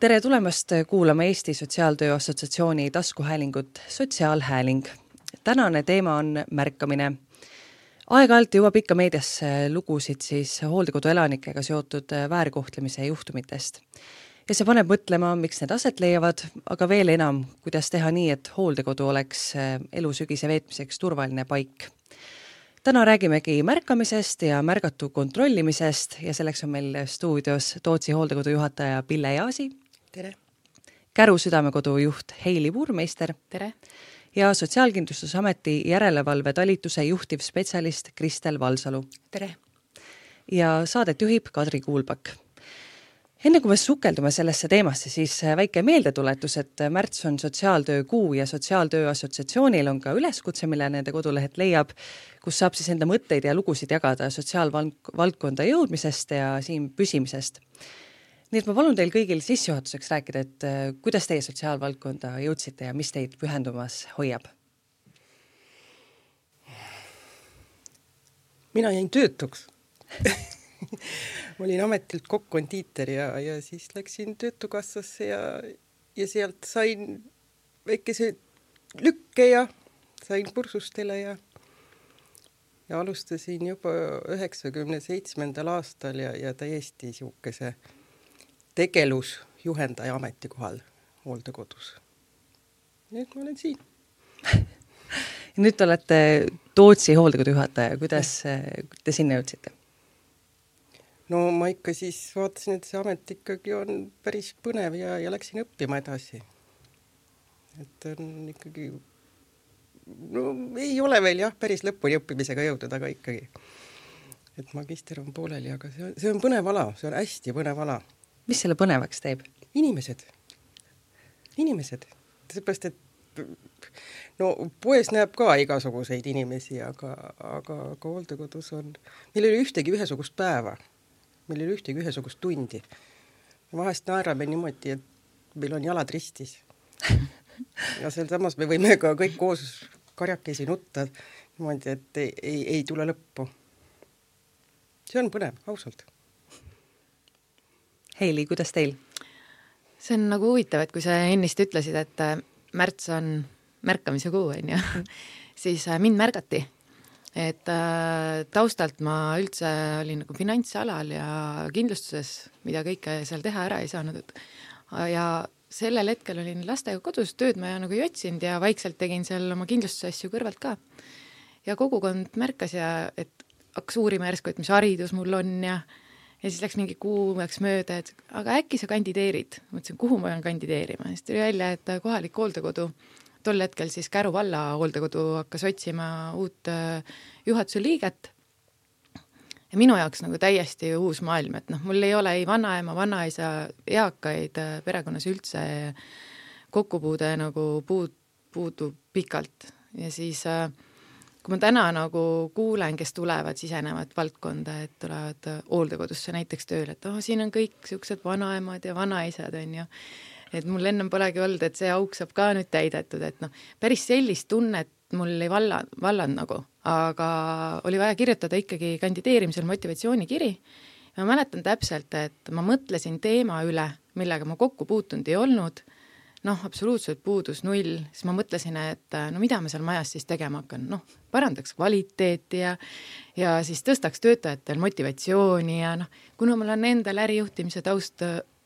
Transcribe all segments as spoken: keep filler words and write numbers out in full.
Tere tulemast kuulama Eesti Sotsiaaltöö Assotsiatsiooni taskuhäälingut Sotsiaalhääling. Tänane teema on märkamine. Aeg-ajalt jõuab ikka meediasse lugusid siis hooldekodu elanikega seotud väärkohtlemise juhtumitest. Ja see paneb mõtlema, miks need aset leiavad, aga veel enam, kuidas teha nii, et hooldekodu oleks elusügise veetmiseks turvaline paik. Täna räägimegi märkamisest ja märgatu kontrollimisest ja selleks on meil stuudios Tootsi hooldekodu juhataja Pille Jaasi. Tere. Käru südamekodu juht Heili Puurmeister. Tere. Ja Sotsiaalkindlustusameti järelevalve talituse juhtiv spetsialist Kristel Valsalu. Tere. Ja saadet juhib Kadri Kuulpak. Enne kui me sukeldume sellesse teemasse, siis väike meeldetuletus, et märts on sotsiaaltöö kuu ja Sotsiaaltöö Assotsiatsioonil on ka üleskutse, mille nende kodulehed leiab, kus saab siis enda mõtteid ja lugusid jagada sotsiaalvaldkonda jõudmisest ja siin püsimisest. Nii et ma palun teil kõigil sissejuhatuseks rääkida, et kuidas teie sotsiaalvaldkonda jõudsite ja mis teid pühendumas hoiab? Mina jäin töötuks. Ma olin ametilt kokk-kondiiter ja, ja siis läksin töötukassasse ja, ja sealt sain väikese lükke ja sain kursustele ja, ja alustasin juba üheksakümne seitsmendal aastal ja, ja täiesti siukese tegelusjuhendaja ametikohal hooldekodus. Nüüd ma olen siin. Nüüd te olete Tootsi hooldekodu juhataja. Kuidas te sinna jõudsite? No ma ikka siis vaatasin, et see amet ikkagi on päris põnev ja, ja läksin õppima edasi. Et on ikkagi, no ei ole veel jah, päris lõpuni õppimisega jõudnud, aga ikkagi. Et magister on pooleli, aga see on, see on põnev ala, see on hästi põnev ala. Mis selle põnevaks teeb? Inimesed. Inimesed. Seepärast, et no poes näeb ka igasuguseid inimesi, aga, aga, aga hooldekodus on, meil ei ole ühtegi ühesugust päeva. Meil ei ole ühtegi ühesugust tundi. Vahest naerame niimoodi, et meil on jalad ristis. Ja seal samas me võime ka kõik koos karjakesi nutta niimoodi, et ei, ei, ei tule lõppu. See on põnev, ausalt. Heili, kuidas teil? See on nagu huvitav, et kui sa ennist ütlesid, et märts on märkamise kuu, on ju, siis mind märgati. Et äh, taustalt ma üldse olin nagu finantsalal ja kindlustuses, mida kõike seal teha ära ei saanud. Ja sellel hetkel olin lastega kodus, tööd ma nagu jotsinud ja vaikselt tegin seal oma kindlustusasju kõrvalt ka. Ja kogukond märkas ja, et hakkas uurima järsku, et mis haridus mul on ja, ja siis läks mingi kuu läks mööda, et aga äkki sa kandideerid. Mõtlesin, kuhu ma olen kandideerima. Siis tuli välja, et kohalik hooldekodu tol hetkel siis Käru valla hooldekodu hakkas otsima uut juhatuse liiget. Ja minu jaoks nagu täiesti uus maailm, et noh, mul ei ole ei vanaema, vanaisa, eakaid perekonnas üldse kokkupuude nagu puud, puudu pikalt. Ja siis, kui ma täna nagu kuulen, kes tulevad, sisenevad valdkonda, et tulevad hooldekodusse näiteks tööle, et oh, siin on kõik siuksed vanaemad ja vanaisad on ju. Et mul ennem polegi olnud, et see auk saab ka nüüd täidetud, et noh, päris sellist tunnet mul ei valla, valland nagu, aga oli vaja kirjutada ikkagi kandideerimisel motivatsioonikiri. Ma mäletan täpselt, et ma mõtlesin teema üle, millega ma kokku puutunud ei olnud, noh, absoluutselt puudus null, siis ma mõtlesin, et no mida ma seal majas siis tegema hakkan, noh, parandaks kvaliteeti ja, ja siis tõstaks töötajatel motivatsiooni ja noh, kuna mul on endal ärijuhtimise taust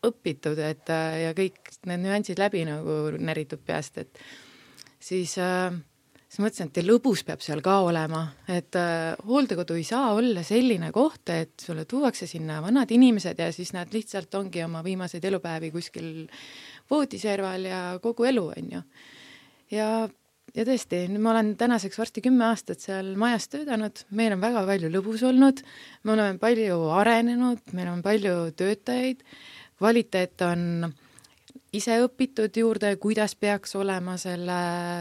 õpitud, et ja kõik need nüansid läbi nagu näritud peast, et siis, äh, siis mõtlesin, et lõbus peab seal ka olema, et äh, hooldekodu ei saa olla selline koht, et sulle tuuakse sinna vanad inimesed ja siis nad lihtsalt ongi oma viimaseid elupäevi kuskil voodiserval ja kogu elu on ju. Ja, ja tõesti, ma olen tänaseks varsti kümme aastat seal majas töötanud, meil on väga palju lõbus olnud, me oleme palju arenenud, meil on palju töötajaid, kvaliteet on ise õpitud juurde, kuidas peaks olema selle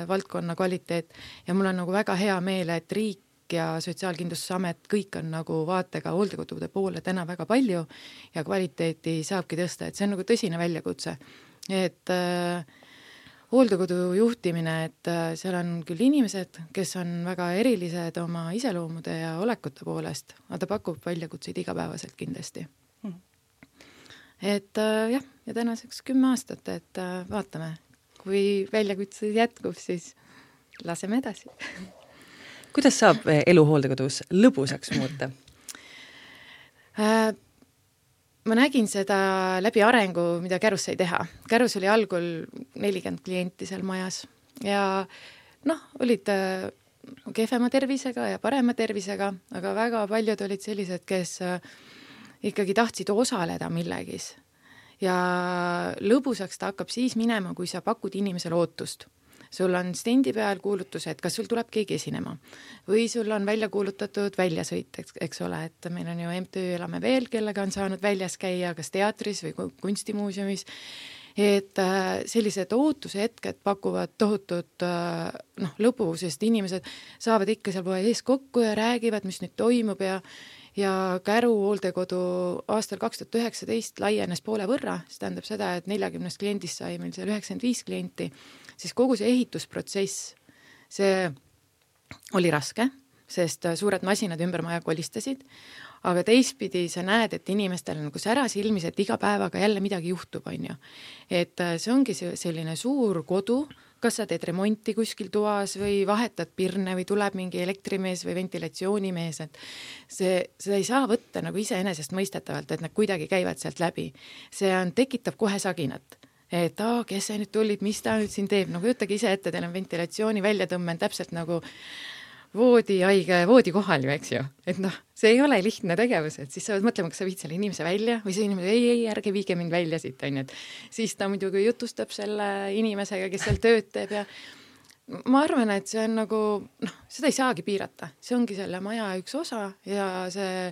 valdkonna kvaliteet ja mul on nagu väga hea meel, et riik ja Sotsiaalkindlustusamet kõik on nagu vaatega hooldekodude poole täna väga palju ja kvaliteeti saabki tõsta, et see on nagu tõsine väljakutse. Et äh, hooldekodu juhtimine, et äh, seal on küll inimesed, kes on väga erilised oma iseloomude ja olekute poolest, aga ta pakub väljakutseid igapäevaselt kindlasti. et äh, jah, ja tänaseks kümme aastat, et äh, vaatame, kui väljakutse jätkub, siis laseme edasi. Kuidas saab elu hooldekodus lõbusaks muuta? Äh, ma nägin seda läbi arengu, mida Kärus sai teha. Kärus oli algul nelikümmend klienti seal majas ja noh, olid äh, kehvema tervisega ja parema tervisega, aga väga paljud olid sellised, kes äh, ikkagi tahtsid osaleda millegis. Ja lõbusaks ta hakkab siis minema, kui sa pakud inimesele ootust. Sul on stendi peal kuulutus, et kas sul tuleb keegi esinema või sul on välja kuulutatud väljasõit, eks, eks ole, et meil on ju M T Ö Elame veel, kellega on saanud väljas käia kas teatris või kunstimuuseumis, et sellised ootuse hetked pakuvad tohutut noh, lõbu, sest inimesed saavad ikka seal poe ees kokku ja räägivad, mis nüüd toimub ja ja Käru hooldekodu aastal kaks tuhat üheksateist laienes poole võrra, see tähendab seda, et neljakümnest kliendist sai meil seal üheksakümmend viis klienti, siis kogu see ehitusprotsess, see oli raske, sest suured masinad ümber maja kolistasid, aga teistpidi sa näed, et inimestel on nagu säras ilmis, et iga päevaga jälle midagi juhtub, on ju. Et see ongi selline suur kodu, kas sa teed remonti kuskil toas või vahetad pirne või tuleb mingi elektrimees või ventilatsioonimees, et see, seda ei saa võtta nagu iseenesest mõistetavalt, et nad kuidagi käivad sealt läbi. See on, tekitab kohe saginat, et aa, kes see nüüd tulid, mis ta nüüd siin teeb, no kujutage ise ette, teil on ventilatsiooni väljatõmmen täpselt nagu voodi haige voodi kohal ju, eks ju, et noh, see ei ole lihtne tegevus, et siis sa võid mõtlema, kas sa viid selle inimese välja või see inimene, ei, ei, ärge viige mind välja siit, on ju, et siis ta muidugi jutustab selle inimesega, kes seal tööd teeb ja ma arvan, et see on nagu, noh, seda ei saagi piirata, see ongi selle maja üks osa ja see,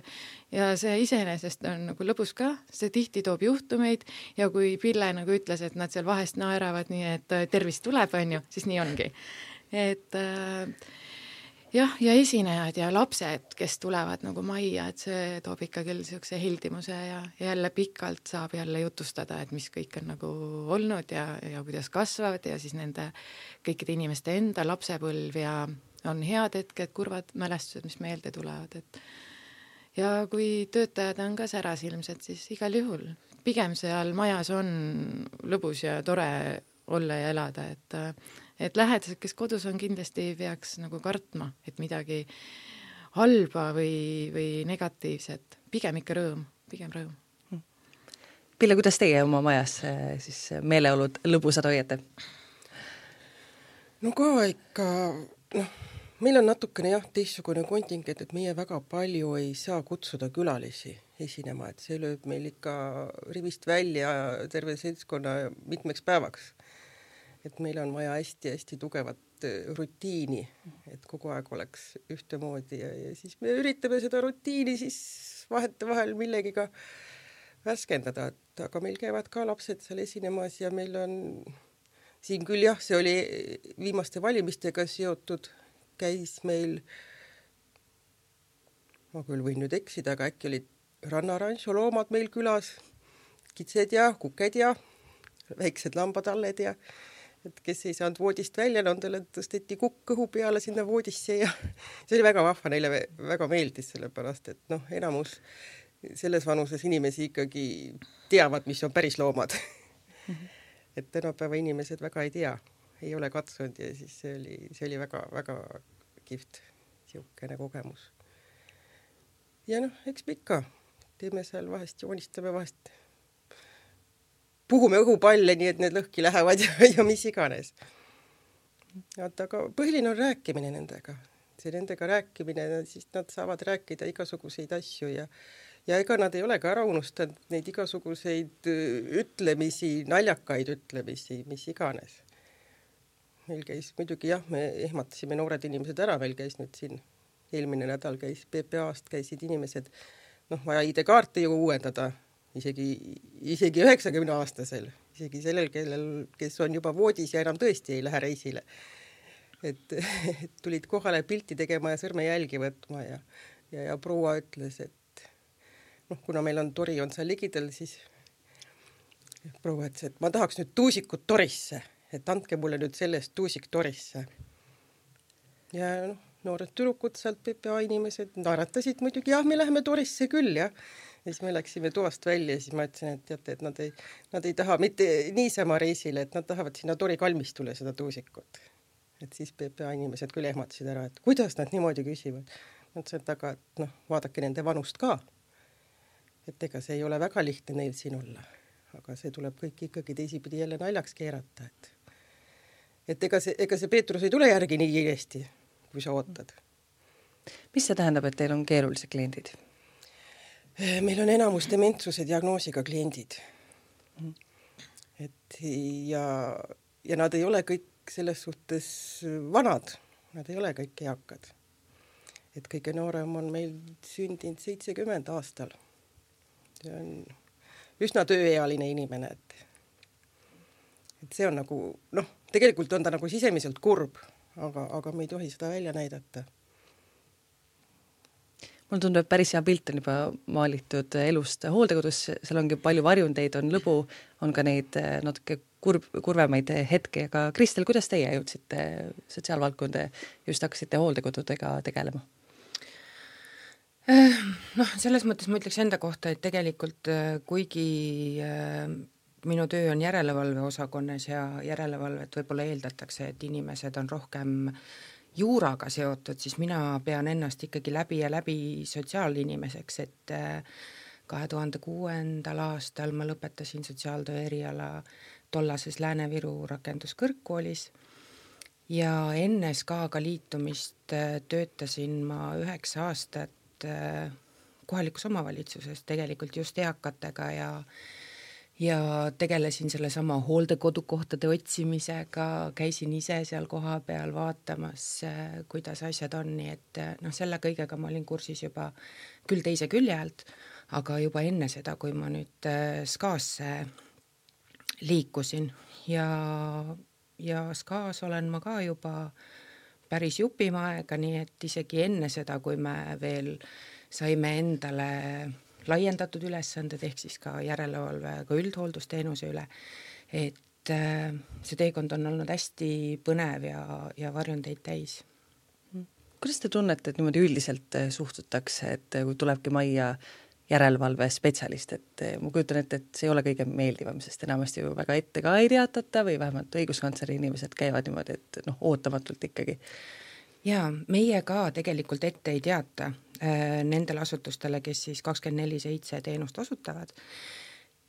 ja see iseenesest on nagu lõbus ka, see tihti toob juhtumeid ja kui Pille nagu ütles, et nad seal vahest naeravad nii, et tervist tuleb, on ju, siis nii ongi. Et äh, jah, ja esinejad ja lapsed, kes tulevad nagu majja, et see toob ikka küll niisuguse hildimuse ja jälle pikalt saab jälle jutustada, et mis kõik on nagu olnud ja, ja kuidas kasvavad ja siis nende kõikide inimeste enda lapsepõlv ja on head hetked, kurvad mälestused, mis meelde tulevad. Et ja kui töötajad on ka säras ilmselt, siis igal juhul. Pigem seal majas on lõbus ja tore olla ja elada, et et lähedased, kes kodus on, kindlasti peaks nagu kartma, et midagi halba või, või negatiivset. Pigem ikka rõõm, pigem rõõm. Pille, kuidas teie oma majas siis meeleolud lõbusad hoiate? No ka ikka, noh, meil on natukene jah, teistsugune kontingent, et meie väga palju ei saa kutsuda külalisi esinema, et see lööb meil ikka rivist välja terve seltskonna mitmeks päevaks. Et meil on vaja hästi-hästi tugevat rutiini, et kogu aeg oleks ühtemoodi ja, ja siis me üritame seda rutiini siis vahete vahel millegiga värskendada, et aga meil käivad ka lapsed seal esinemas ja meil on siin küll jah, see oli viimaste valimistega seotud, käis meil, ma küll võin nüüd eksida, aga äkki olid rannaranšo loomad meil külas, kitsed ja kuked ja väiksed lambadalled ja et kes ei saanud voodist välja, nendele tõsteti kukk kõhu peale sinna voodisse ja see oli väga vahva, neile väga meeldis sellepärast, et noh, enamus selles vanuses inimesi ikkagi teavad, mis on päris loomad. Et tänapäeva inimesed väga ei tea, ei ole katsunud ja siis see oli, see oli väga, väga kihvt siukene kogemus. Ja noh, eks me ikka teeme seal vahest, joonistame vahest puhume õhupalle, nii et need lõhki lähevad ja, ja mis iganes. Aga põhiline on rääkimine nendega. See nendega rääkimine, siis nad saavad rääkida igasuguseid asju ja, ja ega nad ei ole ka ära unustanud neid igasuguseid ütlemisi, naljakaid ütlemisi, mis iganes. Meil käis muidugi jah, me ehmatasime noored inimesed ära, meil käis nüüd siin eelmine nädal käis P P A-st käisid inimesed, noh, vaja I D-kaarte ju uuendada, isegi, isegi üheksakümne aastasel, isegi sellel, kellel, kes on juba voodis ja enam tõesti ei lähe reisile. Et, et tulid kohale pilti tegema ja sõrmejälgi võtma ja, ja, ja proua ütles, et noh, kuna meil on tori on seal ligidal, siis proua ütles, et ma tahaks nüüd tuusikut torisse, et andke mulle nüüd sellest tuusik torisse. Ja noh, noored tülukud sealt P P A inimesed naeratasid muidugi, jah, me läheme torisse küll, jah. ja siis me läksime toast välja ja siis ma ütlesin, et teate, et nad ei, nad ei taha mitte niisama reisile, et nad tahavad sinna Tori kalmistule seda tuusikut. Et siis P P A inimesed küll ehmatasid ära, et kuidas nad niimoodi küsivad. Ma ütlesin, et aga noh, vaadake nende vanust ka. Et ega see ei ole väga lihtne neil siin olla, aga see tuleb kõik ikkagi teisipidi jälle naljaks keerata, et et ega see, ega see Peetrus ei tule järgi nii kiiresti, kui sa ootad. Mis see tähendab, et teil on keerulised kliendid? Meil on enamus dementsuse diagnoosiga kliendid. Et ja, ja nad ei ole kõik selles suhtes vanad, nad ei ole kõik eakad. Et kõige noorem on meil sündinud seitsekümmend aastal. See on üsna tööealine inimene, et, et see on nagu, noh, tegelikult on ta nagu sisemiselt kurb, aga, aga me ei tohi seda välja näidata. Mul tundub, et päris hea pilt on juba maalitud elust hooldekodus, seal ongi palju varjundeid, on lõbu, on ka neid natuke kurb, kurvemaid hetki, aga Kristel, kuidas teie jõudsite sotsiaalvaldkonda ja just hakkasite hooldekodudega tegelema? Noh, selles mõttes ma ütleks enda kohta, et tegelikult kuigi minu töö on järelevalve osakonnas ja järelevalvet võib-olla eeldatakse, et inimesed on rohkem juuraga seotud, siis mina pean ennast ikkagi läbi ja läbi sotsiaalinimeseks, et kahe tuhande kuuendal aastal ma lõpetasin sotsiaaltöö eriala tollases Lääne-Viru rakenduskõrgkoolis ja enne S K A-ga liitumist töötasin ma üheksa aastat kohalikus omavalitsuses tegelikult just eakatega ja ja tegelesin selle sama hooldekodukohtade otsimisega, käisin ise seal koha peal vaatamas, kuidas asjad on, nii et noh, selle kõigega ma olin kursis juba küll teise külje alt, aga juba enne seda, kui ma nüüd S K A-sse liikusin ja, ja S K A-s olen ma ka juba päris jupima aega, nii et isegi enne seda, kui me veel saime endale laiendatud ülesanded, ehk siis ka järelevalve ka üldhooldusteenuse üle, et see teekond on olnud hästi põnev ja, ja varjundeid täis. Kuidas te tunnete, et niimoodi üldiselt suhtutakse, et kui tulebki majja järelevalve spetsialist, et ma kujutan ette, et see ei ole kõige meeldivam, sest enamasti ju väga ette ka ei teatata või vähemalt õiguskantsleri inimesed käivad niimoodi, et noh, ootamatult ikkagi. Ja meie ka tegelikult ette ei teata äh, nendele asutustele, kes siis kakskümmend neli seitse teenust osutavad.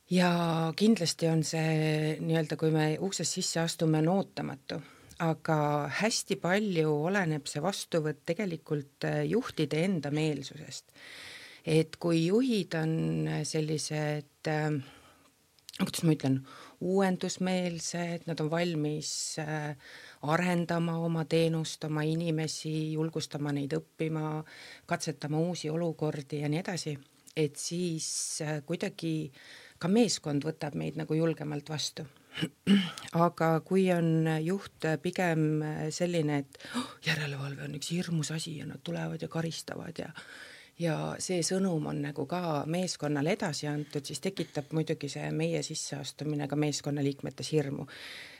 Ja kindlasti on see nii-öelda, kui me uksest sisse astume, on ootamatu, aga hästi palju oleneb see vastuvõtt tegelikult juhtide enda meelsusest. Et kui juhid on sellised, kuidas ma ütlen, uuendusmeelsed, nad on valmis arendama oma teenust, oma inimesi, julgustama neid õppima, katsetama uusi olukordi ja nii edasi, et siis kuidagi ka meeskond võtab meid nagu julgemalt vastu. Aga kui on juht pigem selline, et oh, järelevalve on üks hirmus asi ja nad tulevad ja karistavad ja ja see sõnum on nagu ka meeskonnale edasi antud, siis tekitab muidugi see meie sisseastumine ka meeskonnaliikmetes hirmu.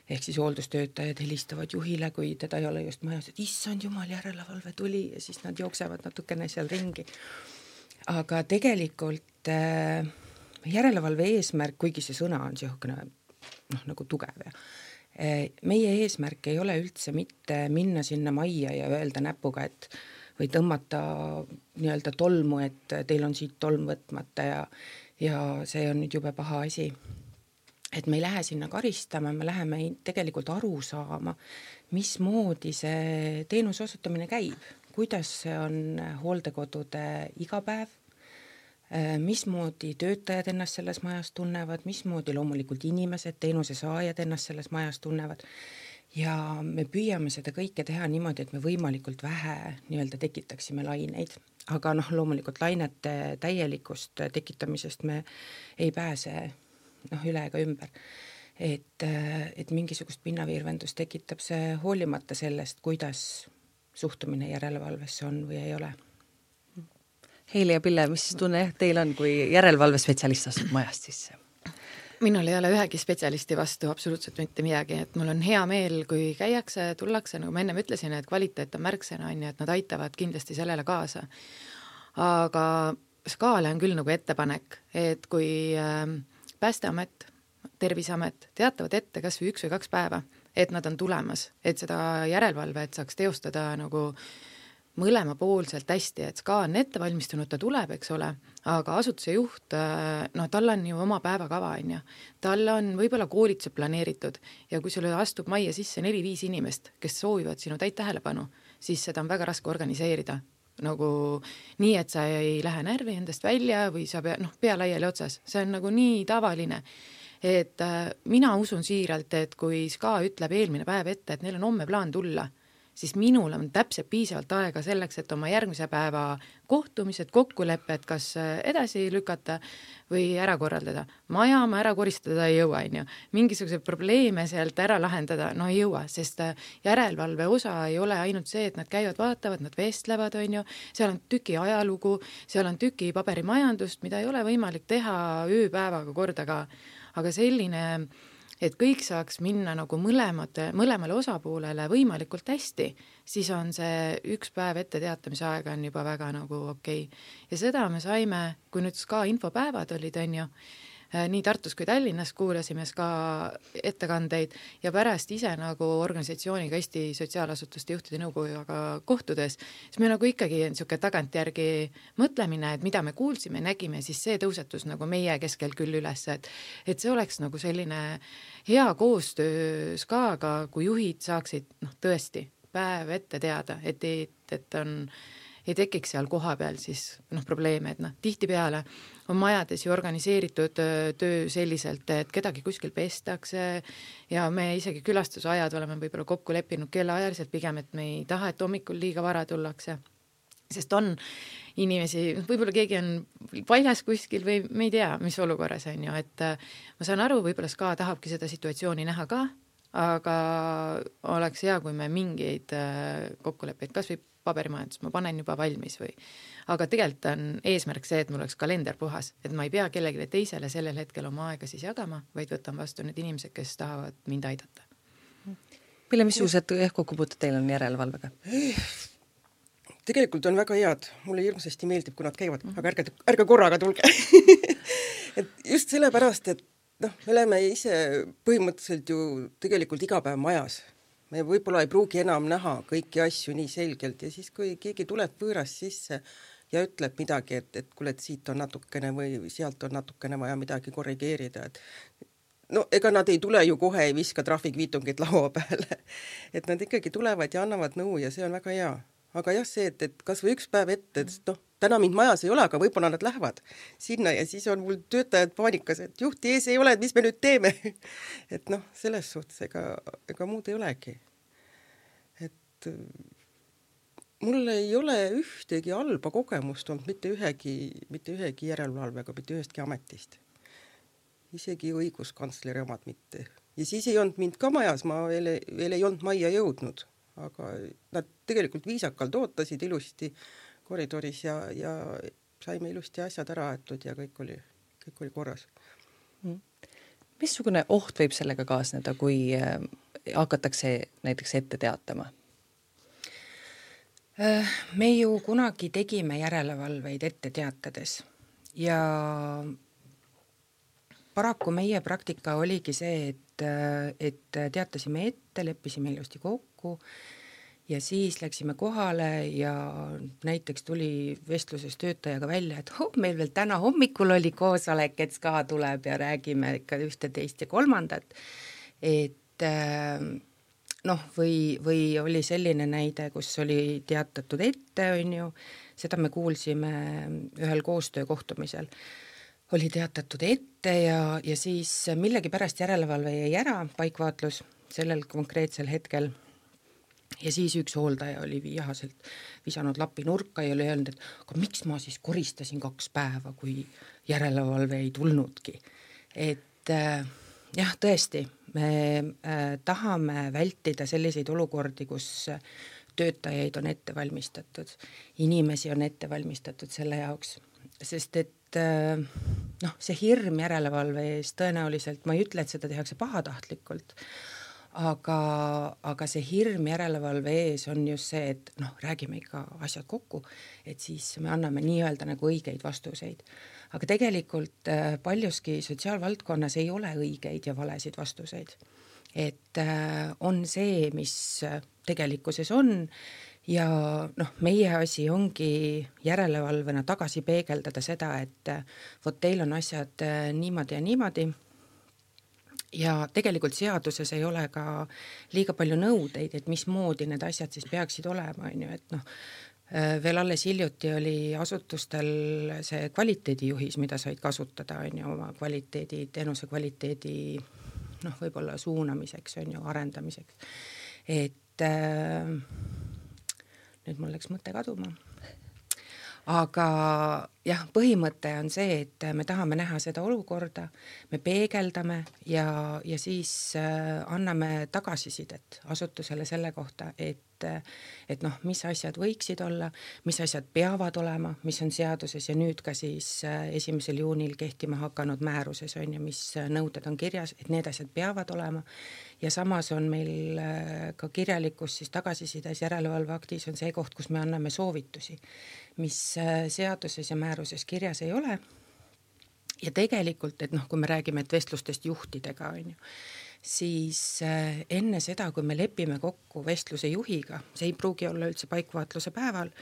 Ehk siis hooldustöötajad helistavad juhile, kui teda ei ole just majas, et issand jumal, järelevalve tuli ja siis nad jooksevad natukene seal ringi. Aga tegelikult äh, järelevalve eesmärk, kuigi see sõna on sihukene noh, nagu tugev ja äh, meie eesmärk ei ole üldse mitte minna sinna majja ja öelda näpuga, et või tõmmata nii-öelda tolmu, et teil on siit tolm võtmata ja, ja see on nüüd jube paha asi. Et me ei lähe sinna karistama, me läheme tegelikult aru saama, mismoodi see teenuse osutamine käib, kuidas see on hooldekodude igapäev, mismoodi töötajad ennast selles majas tunnevad, mismoodi loomulikult inimesed, teenuse saajad ennast selles majas tunnevad. Ja me püüame seda kõike teha niimoodi, et me võimalikult vähe nii-öelda tekitaksime laineid, aga noh, loomulikult lainete täielikust tekitamisest me ei pääse noh, üle ega ümber. Et, et mingisugust pinnavirvendust tekitab see hoolimata sellest, kuidas suhtumine järelevalvesse on või ei ole. Heili ja Pille, mis tunne teil on, kui järelevalvespetsialist astub majast sisse? Minul ei ole ühegi spetsialisti vastu absoluutselt mitte midagi, et mul on hea meel, kui käiakse, tullakse, nagu ma ennem ütlesin, et kvaliteet on märksõna, on ja et nad aitavad kindlasti sellele kaasa. Aga SKA-le on küll nagu ettepanek, et kui äh, Päästeamet, Terviseamet teatavad ette kas või üks või kaks päeva, et nad on tulemas, et seda järelevalvet saaks teostada nagu mõlemapoolselt hästi, et SKA on ette valmistunud, ta tuleb, eks ole, aga asutuse juht, no tal on ju oma päevakava, on ju. Tal on võib-olla koolitused planeeritud ja kui sulle astub majja sisse neli-viis inimest, kes soovivad sinu täit tähelepanu, siis seda on väga raske organiseerida. Nagu nii, et sa ei lähe närvi endast välja või sa pea, noh, pea laiali otsas. See on nagu nii tavaline. Et äh, mina usun siiralt, et kui SKA ütleb eelmine päev ette, et neil on homme plaan tulla, siis minul on täpselt piisavalt aega selleks, et oma järgmise päeva kohtumised, kokkulepped, kas edasi lükata või ära korraldada. Maja ma ära koristada ei jõua, on ju. Mingisuguse probleeme sealt ära lahendada, no ei jõua, sest järelevalve osa ei ole ainult see, et nad käivad, vaatavad, nad vestlevad, on ju. Seal on tüki ajalugu, seal on tüki paberimajandust, mida ei ole võimalik teha ööpäevaga kordaga, aga selline et kõik saaks minna nagu mõlemate, mõlemale osapoolele võimalikult hästi, siis on see üks päev ette teatamise aega on juba väga nagu okei. Ja seda me saime, kui nüüd SKA infopäevad olid, on ju, nii Tartus kui Tallinnas kuulasime SKA ettekandeid ja pärast ise nagu organisatsiooniga Eesti sotsiaalasutuste juhtide nõukoguga kohtudes, siis me nagu ikkagi niisugune tagantjärgi mõtlemine, et mida me kuulsime, nägime, siis see tõusetus nagu meie keskel küll üles, et, et see oleks nagu selline hea koostöö SKA-ga, kui juhid saaksid noh, tõesti päev ette teada, et, et, et on ei tekiks seal koha peal siis noh, probleeme, et noh, tihtipeale on majades ju organiseeritud töö selliselt, et kedagi kuskil pestakse ja me isegi külastusajad oleme võib-olla kokku leppinud kellaajaliselt pigem, et me ei taha, et hommikul liiga vara tullakse. Sest on inimesi, võib-olla keegi on väljas kuskil või me ei tea, mis olukorras on ju, et ma saan aru, võib-olla SKA tahabki seda situatsiooni näha ka, aga oleks hea, kui me mingeid kokkuleppeid kas või paberimajandus, ma panen juba valmis või. Aga tegelikult on eesmärk see, et mul oleks kalender puhas, et ma ei pea kellelegi teisele sellel hetkel oma aega siis jagama, vaid võtan vastu need inimesed, kes tahavad mind aidata. Mille missugused kokkupuuted teil on järelevalvega? Tegelikult on väga head. Mulle hirmsasti meeldib, kui nad käivad, aga ärge, ärge korraga tulge. et just sellepärast, et noh, me oleme ise põhimõtteliselt ju tegelikult iga päev majas. Me võib-olla ei pruugi enam näha kõiki asju nii selgelt ja siis, kui keegi tuleb võõrast sisse ja ütleb midagi, et, et kuule, et siit on natukene või sealt on natukene vaja midagi korrigeerida, et no ega nad ei tule ju kohe, ei viska trahvikviitungid laua peale. Et nad ikkagi tulevad ja annavad nõu ja see on väga hea. Aga jah, see, et, et kas või üks päev ette, et noh, täna mind majas ei ole, aga võib-olla nad lähevad sinna ja siis on mul töötajad paanikas, et juhti ees ei ole, et mis me nüüd teeme. et noh, selles suhtes ega, ega muud ei olegi. Et mul ei ole ühtegi halba kogemust olnud mitte ühegi, mitte ühegi järelevalvega, mitte ühestki ametist. Isegi õiguskantsleri omad mitte. Ja siis ei olnud mind ka majas, ma veel, veel ei olnud majja jõudnud, aga nad tegelikult viisakalt ootasid ilusti koridoris ja, ja saime ilusti asjad ära aetud ja kõik oli, kõik oli korras. Missugune oht võib sellega kaasneda, kui hakatakse näiteks ette teatama? Me ju kunagi tegime järelevalveid ette teatades ja paraku meie praktika oligi see, et, et teatasime ette, leppisime ilusti kokku ja siis läksime kohale ja näiteks tuli vestluses töötajaga välja, et oh, meil veel täna hommikul oli koosolek, et SKA tuleb ja räägime ikka ühte, teist ja kolmandat. Et noh, või, või oli selline näide, kus oli teatatud ette, on ju, seda me kuulsime ühel koostöökohtumisel. Oli teatatud ette ja, ja siis millegi pärast järelevalve jäi ära, paikvaatlus sellel konkreetsel hetkel. Ja siis üks hooldaja oli vihaselt visanud lapi nurka ja oli öelnud, et aga miks ma siis koristasin kaks päeva, kui järelevalve ei tulnudki. Et äh, jah, tõesti, me äh, tahame vältida selliseid olukordi, kus töötajaid on ette valmistatud, inimesi on ette valmistatud selle jaoks, sest et äh, noh, see hirm järelevalve ees tõenäoliselt, ma ei ütle, et seda tehakse pahatahtlikult, aga, aga see hirm järelevalve ees on just see, et noh, räägime ikka asjad kokku, et siis me anname nii-öelda nagu õigeid vastuseid. Aga tegelikult paljuski sotsiaalvaldkonnas ei ole õigeid ja valesid vastuseid. Et on see, mis tegelikkuses on, ja noh, meie asi ongi järelevalvena tagasi peegeldada seda, et vot teil on asjad niimoodi ja niimoodi, ja tegelikult seaduses ei ole ka liiga palju nõudeid, et mismoodi need asjad siis peaksid olema, on ju, et noh, veel alles hiljuti oli asutustel see kvaliteedijuhis, mida said kasutada, on ju, oma kvaliteedi, teenuse kvaliteedi noh, võib-olla suunamiseks, on ju, arendamiseks. Et äh, nüüd mul läks mõte kaduma. Aga jah, põhimõte on see, et me tahame näha seda olukorda, me peegeldame ja, ja siis äh, anname tagasisidet asutusele selle kohta, et, et noh, mis asjad võiksid olla, mis asjad peavad olema, mis on seaduses ja nüüd ka siis äh, esimesel juunil kehtima hakanud määruses on ja mis nõuded on kirjas, et need asjad peavad olema. Ja samas on meil äh, ka kirjalikus siis tagasisides järelevalveaktis on see koht, kus me anname soovitusi, mis äh, seaduses ja määruses kirjas ei ole. Ja tegelikult, et noh, kui me räägime et vestlustest juhtidega, on ju, siis äh, enne seda, kui me lepime kokku vestluse juhiga, see ei pruugi olla üldse paikvaatluse päeval,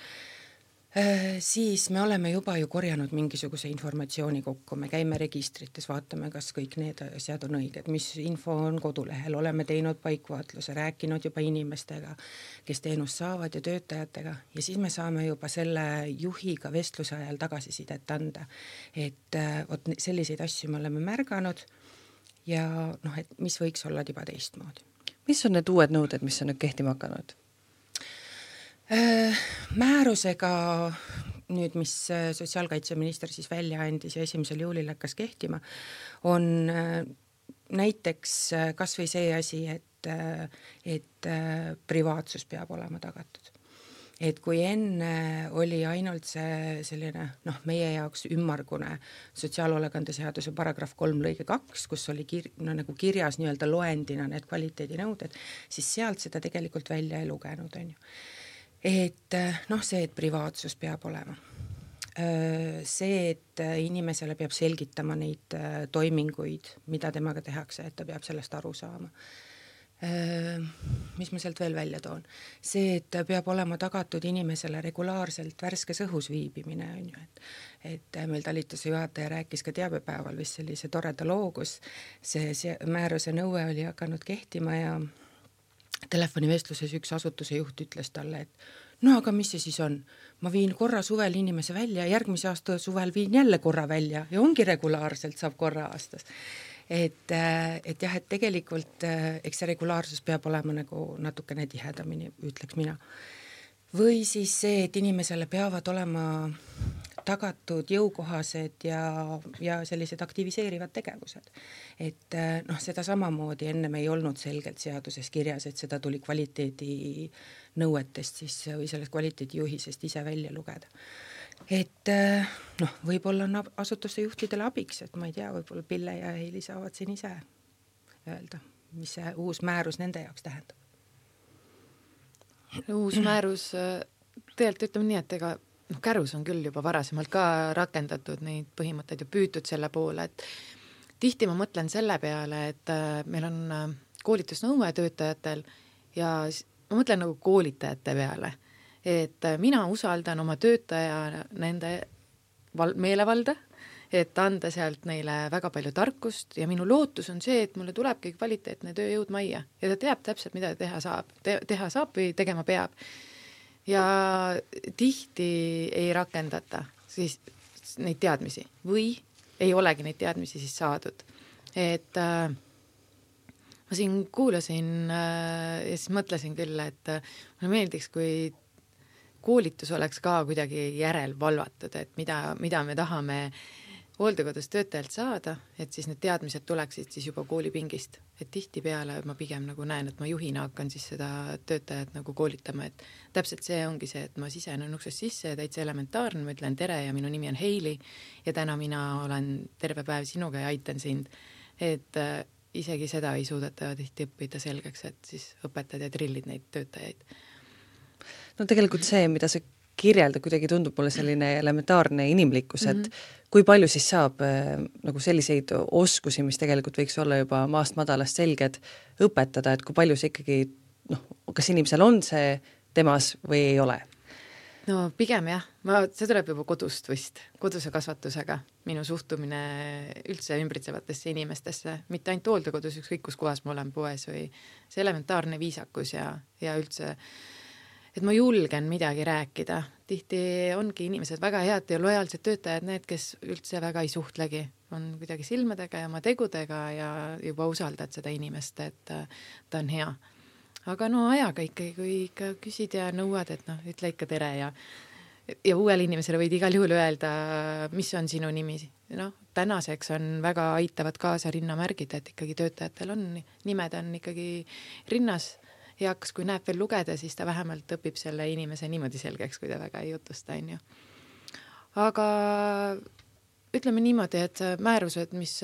äh, siis me oleme juba ju korjanud mingisuguse informatsiooni kokku, me käime registrites, vaatame, kas kõik need asjad on õiged, mis info on kodulehel, oleme teinud paikvaatluse, rääkinud juba inimestega, kes teenust saavad ja töötajatega ja siis me saame juba selle juhiga vestluse ajal tagasisidet anda, et vot selliseid asju me oleme märganud ja noh, et mis võiks olla juba teistmoodi. Mis on need uued nõuded, mis on nüüd kehtima hakanud? Määrusega nüüd, mis sotsiaalkaitseminister siis välja andis ja esimesel juulil hakkas kehtima, on näiteks kas või see asi, et, et privaatsus peab olema tagatud. Et kui enne oli ainult see selline, noh, meie jaoks ümmargune sotsiaalhoolekande seaduse paragrahv kolm lõige kaks, kus oli kir- no, nagu kirjas nii-öelda loendina need kvaliteedinõuded, siis sealt seda tegelikult välja ei lugenud, on ju. Et noh, see, et privaatsus peab olema. See, et inimesele peab selgitama neid toiminguid, mida temaga tehakse, et ta peab sellest aru saama. Mis ma sealt veel välja toon? See, et peab olema tagatud inimesele regulaarselt värskes õhus viibimine, on ju, et, et meil talituse juhataja rääkis ka teabepäeval vist sellise toreda loo, kus see, see määruse nõue oli hakanud kehtima ja telefonivestluses üks asutuse juht ütles talle, et no aga mis see siis on? Ma viin korra suvel inimese välja, järgmise aasta suvel viin jälle korra välja ja ongi regulaarselt, saab korra aastas. Et, et jah, et tegelikult eks see regulaarsus peab olema nagu natukene tihedamini, ütleks mina. Või siis see, et inimesele peavad olema tagatud jõukohased ja, ja sellised aktiviseerivad tegevused. Et noh, seda samamoodi ennem ei olnud selgelt seaduses kirjas, et seda tuli kvaliteedi nõuetest siis, või sellest kvaliteedijuhisest ise välja lugeda. Et noh, võib-olla on asutuste juhtidele abiks, et ma ei tea, võib-olla Pille ja Heili saavad siin ise öelda, mis see uus määrus nende jaoks tähendab. Uus määrus, tegelikult ütleme nii, et ega noh, Kärus on küll juba varasemalt ka rakendatud neid põhimõtteid ja püütud selle poole, et tihti ma mõtlen selle peale, et meil on koolitusnõue töötajatel ja ma mõtlen nagu koolitajate peale, et mina usaldan oma töötaja nende val- meelevalda, et anda sealt neile väga palju tarkust ja minu lootus on see, et mulle tulebki kvaliteetne tööjõud majja ja ta teab täpselt, mida teha saab, Te- teha saab või tegema peab. Ja tihti ei rakendata siis neid teadmisi või ei olegi neid teadmisi siis saadud. Et äh, ma siin kuulasin äh, ja siis mõtlesin küll, et äh, mulle meeldiks, kui koolitus oleks ka kuidagi järelvalvatud, et mida, mida me tahame hooldekodus töötajalt saada, et siis need teadmised tuleksid siis juba koolipingist. Et tihtipeale ma pigem nagu näen, et ma juhina hakkan siis seda töötajat nagu koolitama, et täpselt see ongi see, et ma sisenen uksest sisse ja täitsa elementaarne, ma ütlen tere ja minu nimi on Heili ja täna mina olen terve päev sinuga ja aitan sind. Et isegi seda ei suudeta tihti õppida selgeks, et siis õpetad ja trillid neid töötajaid. No tegelikult see, mida sa kirjelda, kuidagi tundub mulle selline elementaarne inimlikkus, et mm-hmm. kui palju siis saab äh, nagu selliseid oskusi, mis tegelikult võiks olla juba maast madalast selged, õpetada, et kui palju see ikkagi, noh, kas inimesel on see temas või ei ole? No pigem jah, ma, see tuleb juba kodust vist, koduse kasvatusega, minu suhtumine üldse ümbritsevatesse inimestesse, mitte ainult hooldekodus, ükskõik kus kohas ma olen poes või see elementaarne viisakus ja, ja üldse, et ma julgen midagi rääkida. Tihti ongi inimesed väga head ja lojaalsed töötajad, need, kes üldse väga ei suhtlegi, on kuidagi silmadega ja oma tegudega ja juba usaldad seda inimest, et ta on hea. Aga no ajaga ikkagi, kui ikka küsid ja nõuad, et noh, ütle ikka tere ja, ja uuele inimesele võid igal juhul öelda, mis on sinu nimi. No, tänaseks on väga aitavad kaasa rinnamärgid, et ikkagi töötajatel on, nimed on ikkagi rinnas heaks, kui näeb veel lugeda, siis ta vähemalt õpib selle inimese niimoodi selgeks, kui ta väga ei jutusta, on ju. Aga ütleme niimoodi, et määrused, mis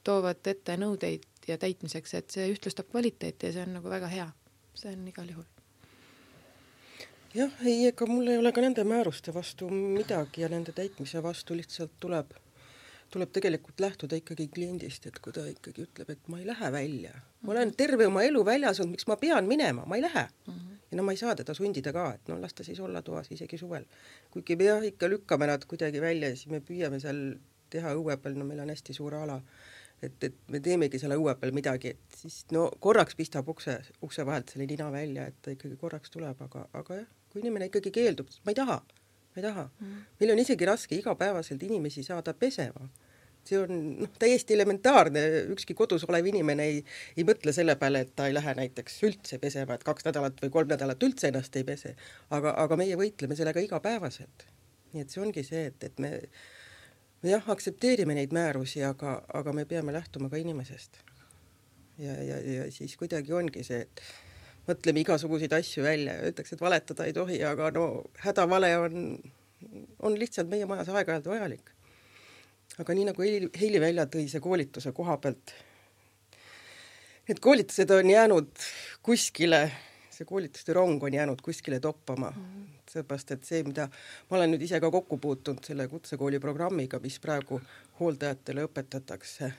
toovad ette nõudeid ja täitmiseks, et see ühtlustab kvaliteeti ja see on nagu väga hea. See on igal juhul. Jah, ei, ega mul ei ole ka nende määruste vastu midagi ja nende täitmise vastu lihtsalt tuleb, tuleb tegelikult lähtuda ikkagi kliendist, et kui ta ikkagi ütleb, et ma ei lähe välja. Ma olen terve oma elu väljas olnud, miks ma pean minema, ma ei lähe. Mm-hmm. Ja no ma ei saa teda sundida ka, et no las ta siis olla toas isegi suvel. Kuigi me jah, ikka lükkame nad kuidagi välja ja siis me püüame seal teha õue peal, no meil on hästi suur ala. Et, et me teemegi selle õue peal midagi, et siis no korraks pistab ukse, ukse vahelt selle nina välja, et ta ikkagi korraks tuleb, aga, aga jah, kui inimene ikkagi keeldub, ma ei taha, ma ei taha. Mm. Meil on isegi raske igapäevaselt inimesi saada pesema. See on noh, täiesti elementaarne, ükski kodus olev inimene ei, ei mõtle selle peale, et ta ei lähe näiteks üldse pesema, et kaks nädalat või kolm nädalat üldse ennast ei pese, aga, aga meie võitleme sellega igapäevaselt. Nii et see ongi see, et, et me me jah, aktsepteerime neid määrusi, aga, aga me peame lähtuma ka inimesest. Ja, ja, ja siis kuidagi ongi see, et mõtleme igasuguseid asju välja ja ütleks, et valetada ei tohi, aga no hädavale on, on lihtsalt meie majas aeg-ajalt vajalik. Aga nii nagu Heili, Heili välja tõi see koolituse koha pealt, need koolitused on jäänud kuskile, see koolituste rong on jäänud kuskile toppama. Mm. Seepärast, et see, mida ma olen nüüd ise ka kokku puutunud selle kutsekooli programmiga, mis praegu hooldajatele õpetatakse.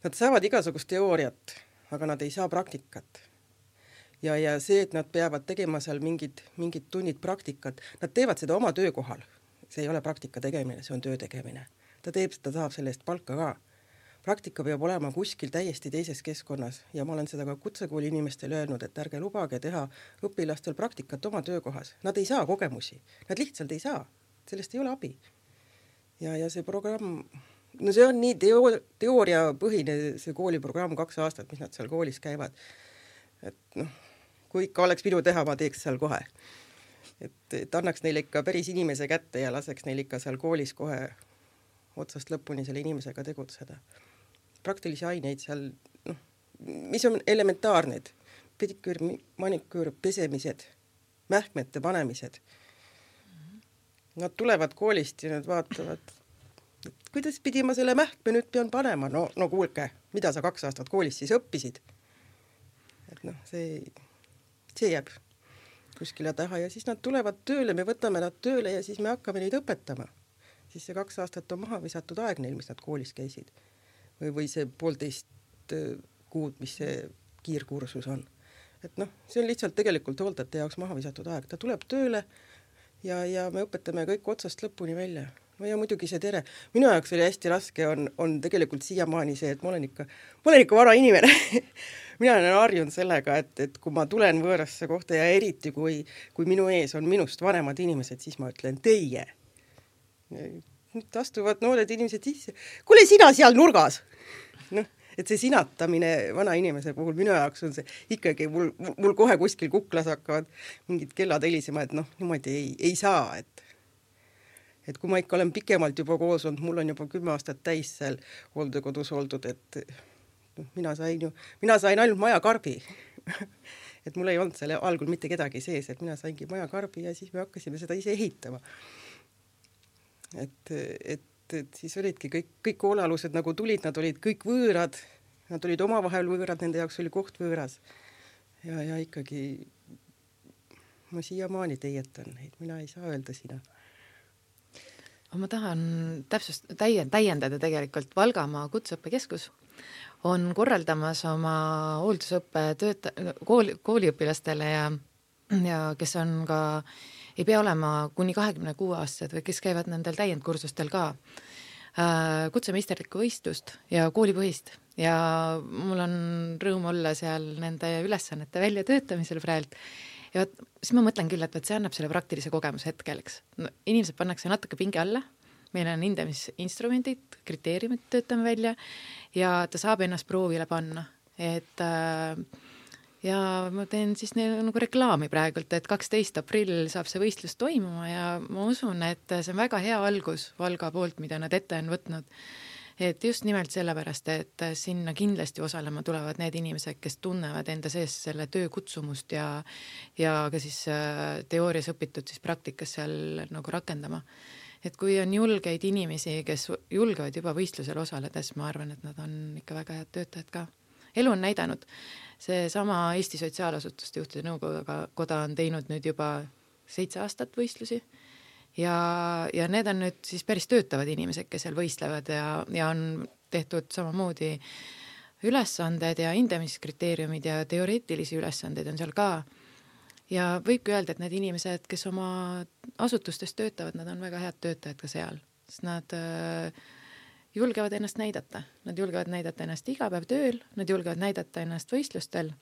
Nad saavad igasugust teooriat, aga nad ei saa praktikat. Ja, ja see, et nad peavad tegema seal mingid, mingid tunnid praktikat, nad teevad seda oma töökohal. See ei ole praktika tegemine, see on töö tegemine. Ta teeb, ta saab selle eest palka ka. Praktika peab olema kuskil täiesti teises keskkonnas ja ma olen seda ka kutsekooli inimestele öelnud, et ärge lubage teha õpilastel praktikat oma töökohas. Nad ei saa kogemusi, nad lihtsalt ei saa, sellest ei ole abi. Ja, ja see programm, no see on nii teo, teooriapõhine see kooliprogramm kaks aastat, mis nad seal koolis käivad. Et noh, kui ikka oleks minu teha, ma teeks seal kohe. Et, et annaks neile ikka päris inimese kätte ja laseks neil ikka seal koolis kohe otsast lõpuni selle inimesega tegutseda. Praktilisi aineid seal, noh, mis on elementaarned, pediküür, maniküür, pesemised, mähkmete panemised. Nad tulevad koolist ja nad vaatavad, kuidas pidi ma selle mähkme nüüd pean panema? No, no kuulke, mida sa kaks aastat koolis siis õppisid? Et noh, see, see jääb kuskile taha ja siis nad tulevad tööle, me võtame nad tööle ja siis me hakkame neid õpetama. Siis see kaks aastat on maha visatud aeg neil, mis nad koolis käisid. Või, või see poolteist kuud, mis see kiirkursus on. Et noh, see on lihtsalt tegelikult hooldajate jaoks maha visatud aeg. Ta tuleb tööle ja, ja me õpetame kõik otsast lõpuni välja. No ja muidugi see tere. Minu jaoks oli hästi raske, on, on tegelikult siiamaani see, et ma olen ikka, ma olen ikka vara inimene. Mina olen harjunud sellega, et, et kui ma tulen võõrasse kohta ja eriti kui, kui minu ees on minust vanemad inimesed, siis ma ütlen teie. Nüüd astuvad noored inimesed sisse. Kuule, sina seal nurgas! Noh, et see sinatamine vana inimese puhul minu jaoks on see ikkagi, mul, mul kohe kuskil kuklas hakkavad mingid kellad helisema, et noh, niimoodi ei, ei saa, et et kui ma ikka olen pikemalt juba koos olnud, mul on juba kümme aastat täis seal hooldekodus oldud, et noh, mina sain ju, mina sain ainult majakarbi. Et mul ei olnud selle algul mitte kedagi sees, et mina saingi majakarbi ja siis me hakkasime seda ise ehitama. Et, et, et siis olidki kõik, kõik hoolealused nagu tulid, nad olid kõik võõrad, nad olid omavahel võõrad, nende jaoks oli koht võõras. Ja, ja ikkagi ma siiamaani teietan neid, mina ei saa öelda sina. Ma tahan täpsust, täiendada tegelikult Valgamaa kutseõppekeskus on korraldamas oma hooldusõppe tööta, kooli, kooliõpilastele ja, ja kes on ka, ei pea olema kuni kahekümne kuue aastased või kes käivad nendel täiendkursustel ka äh, kutsemeisterlikku võistlust ja koolipõhist ja mul on rõõm olla seal nende ülesannete väljatöötamisel praegu. Ja võt, siis ma mõtlen küll, et võt, see annab selle praktilise kogemuse hetkeleks. No, inimesed pannakse natuke pinge alla, meil on hindamisinstrumendid, kriteeriumid töötame välja ja ta saab ennast proovile panna. Et, ja ma teen siis nagu reklaami praegult, et kaksteist aprill saab see võistlus toimuma ja ma usun, et see on väga hea algus Valga poolt, mida nad ette on võtnud. Et just nimelt sellepärast, et sinna kindlasti osalema tulevad need inimesed, kes tunnevad enda sees selle töö kutsumust ja, ja ka siis teoorias õpitud siis praktikas seal nagu rakendama. Et kui on julgeid inimesi, kes julgevad juba võistlusel osaledes, ma arvan, et nad on ikka väga head töötajad ka. Elu on näidanud. See sama Eesti Sotsiaalasutuste Juhtide Nõukoda on teinud nüüd juba seitse aastat võistlusi. Ja, ja need on nüüd siis päris töötavad inimesed, kes seal võistlevad ja, ja on tehtud samamoodi ülesanded ja hindamiskriteeriumid ja teoreetilisi ülesanded on seal ka. Ja võibki öelda, et need inimesed, kes oma asutustes töötavad, nad on väga head töötajad ka seal. Sest nad äh, julgevad ennast näidata. Nad julgevad näidata ennast iga päev tööl, nad julgevad näidata ennast võistlustel.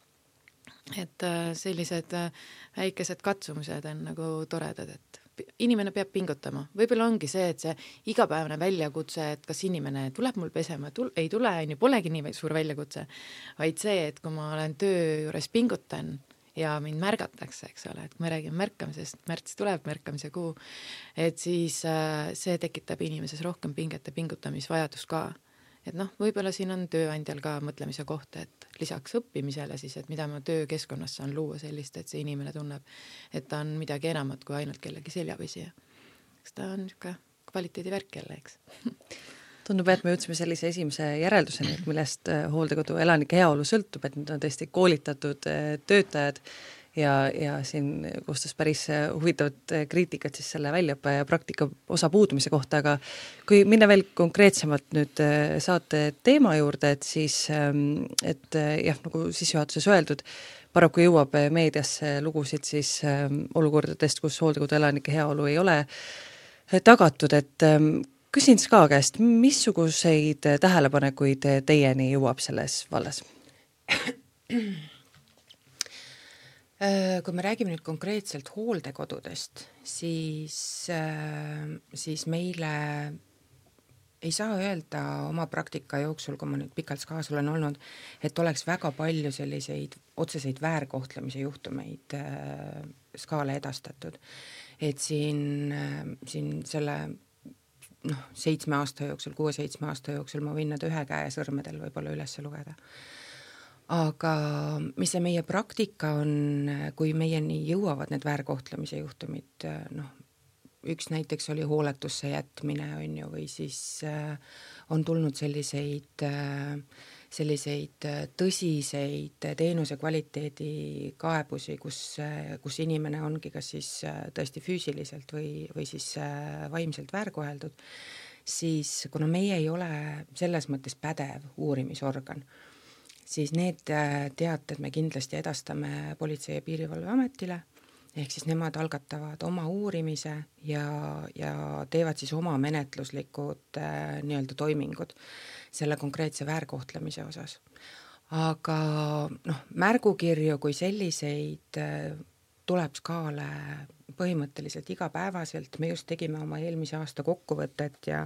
Et äh, sellised äh, väikesed katsumused on nagu toredad, et inimene peab pingutama. Võib-olla ongi see, et see igapäevane väljakutse, et kas inimene tuleb mul pesema, tul- ei tule, ju polegi nii suur väljakutse, vaid see, et kui ma olen töö juures pingutan ja mind märgatakse, eks ole, et kui me räägime märkamisest, märts tuleb märkamise kuu, et siis äh, see tekitab inimeses rohkem pinget ja pingutamisvajadus ka. Et noh, võib-olla siin on tööandjal ka mõtlemise koht, et lisaks õppimisele siis, et mida ma töökeskkonnas saan luua sellist, et see inimene tunneb, et ta on midagi enamat kui ainult kellegi seljapesija. Kas ta on niisugune kvaliteedi värk jälle, eks? Tundub, et me jõudsime sellise esimese järelduseni, millest hooldekodu elanike heaolu sõltub, et need on tõesti koolitatud töötajad ja, ja siin koostas päris huvitavat kriitikat siis selle väljaõppe ja praktika osa puudumise kohta, aga kui minna veel konkreetsemalt nüüd saate teema juurde, et siis, et jah, nagu sissejuhatuses öeldud, paraku jõuab meediasse lugusid siis olukordadest, kus hooldekodu elanike heaolu ei ole tagatud, et küsin Ska käest, missuguseid tähelepanekuid teieni jõuab selles vallas? Kui me räägime nüüd konkreetselt hooldekodudest, siis, siis meile ei saa öelda oma praktika jooksul, kui ma nüüd pikalt Skaas olen olnud, et oleks väga palju selliseid otseseid väärkohtlemise juhtumeid Skaale edastatud. Et siin, siin selle noh, seitsme aasta jooksul, kuue-seitsme aasta jooksul ma võin nad ühe käe sõrmedel võib-olla üles lugeda. Aga mis see meie praktika on, kui meieni jõuavad need väärkohtlemise juhtumid, noh, üks näiteks oli hooletusse jätmine, on ju, või siis on tulnud selliseid, selliseid tõsiseid teenuse kvaliteedi kaebusi, kus, kus inimene ongi kas siis tõesti füüsiliselt või, või siis vaimselt väärkoheldud, siis kuna meie ei ole selles mõttes pädev uurimisorgan, siis need teated me kindlasti edastame Politsei- ja Piirivalveametile, ehk siis nemad algatavad oma uurimise ja, ja teevad siis oma menetluslikud äh, nii-öelda toimingud selle konkreetse väärkohtlemise osas. Aga noh, märgukirju kui selliseid äh, tuleb Skaale põhimõtteliselt igapäevaselt, me just tegime oma eelmise aasta kokkuvõtet ja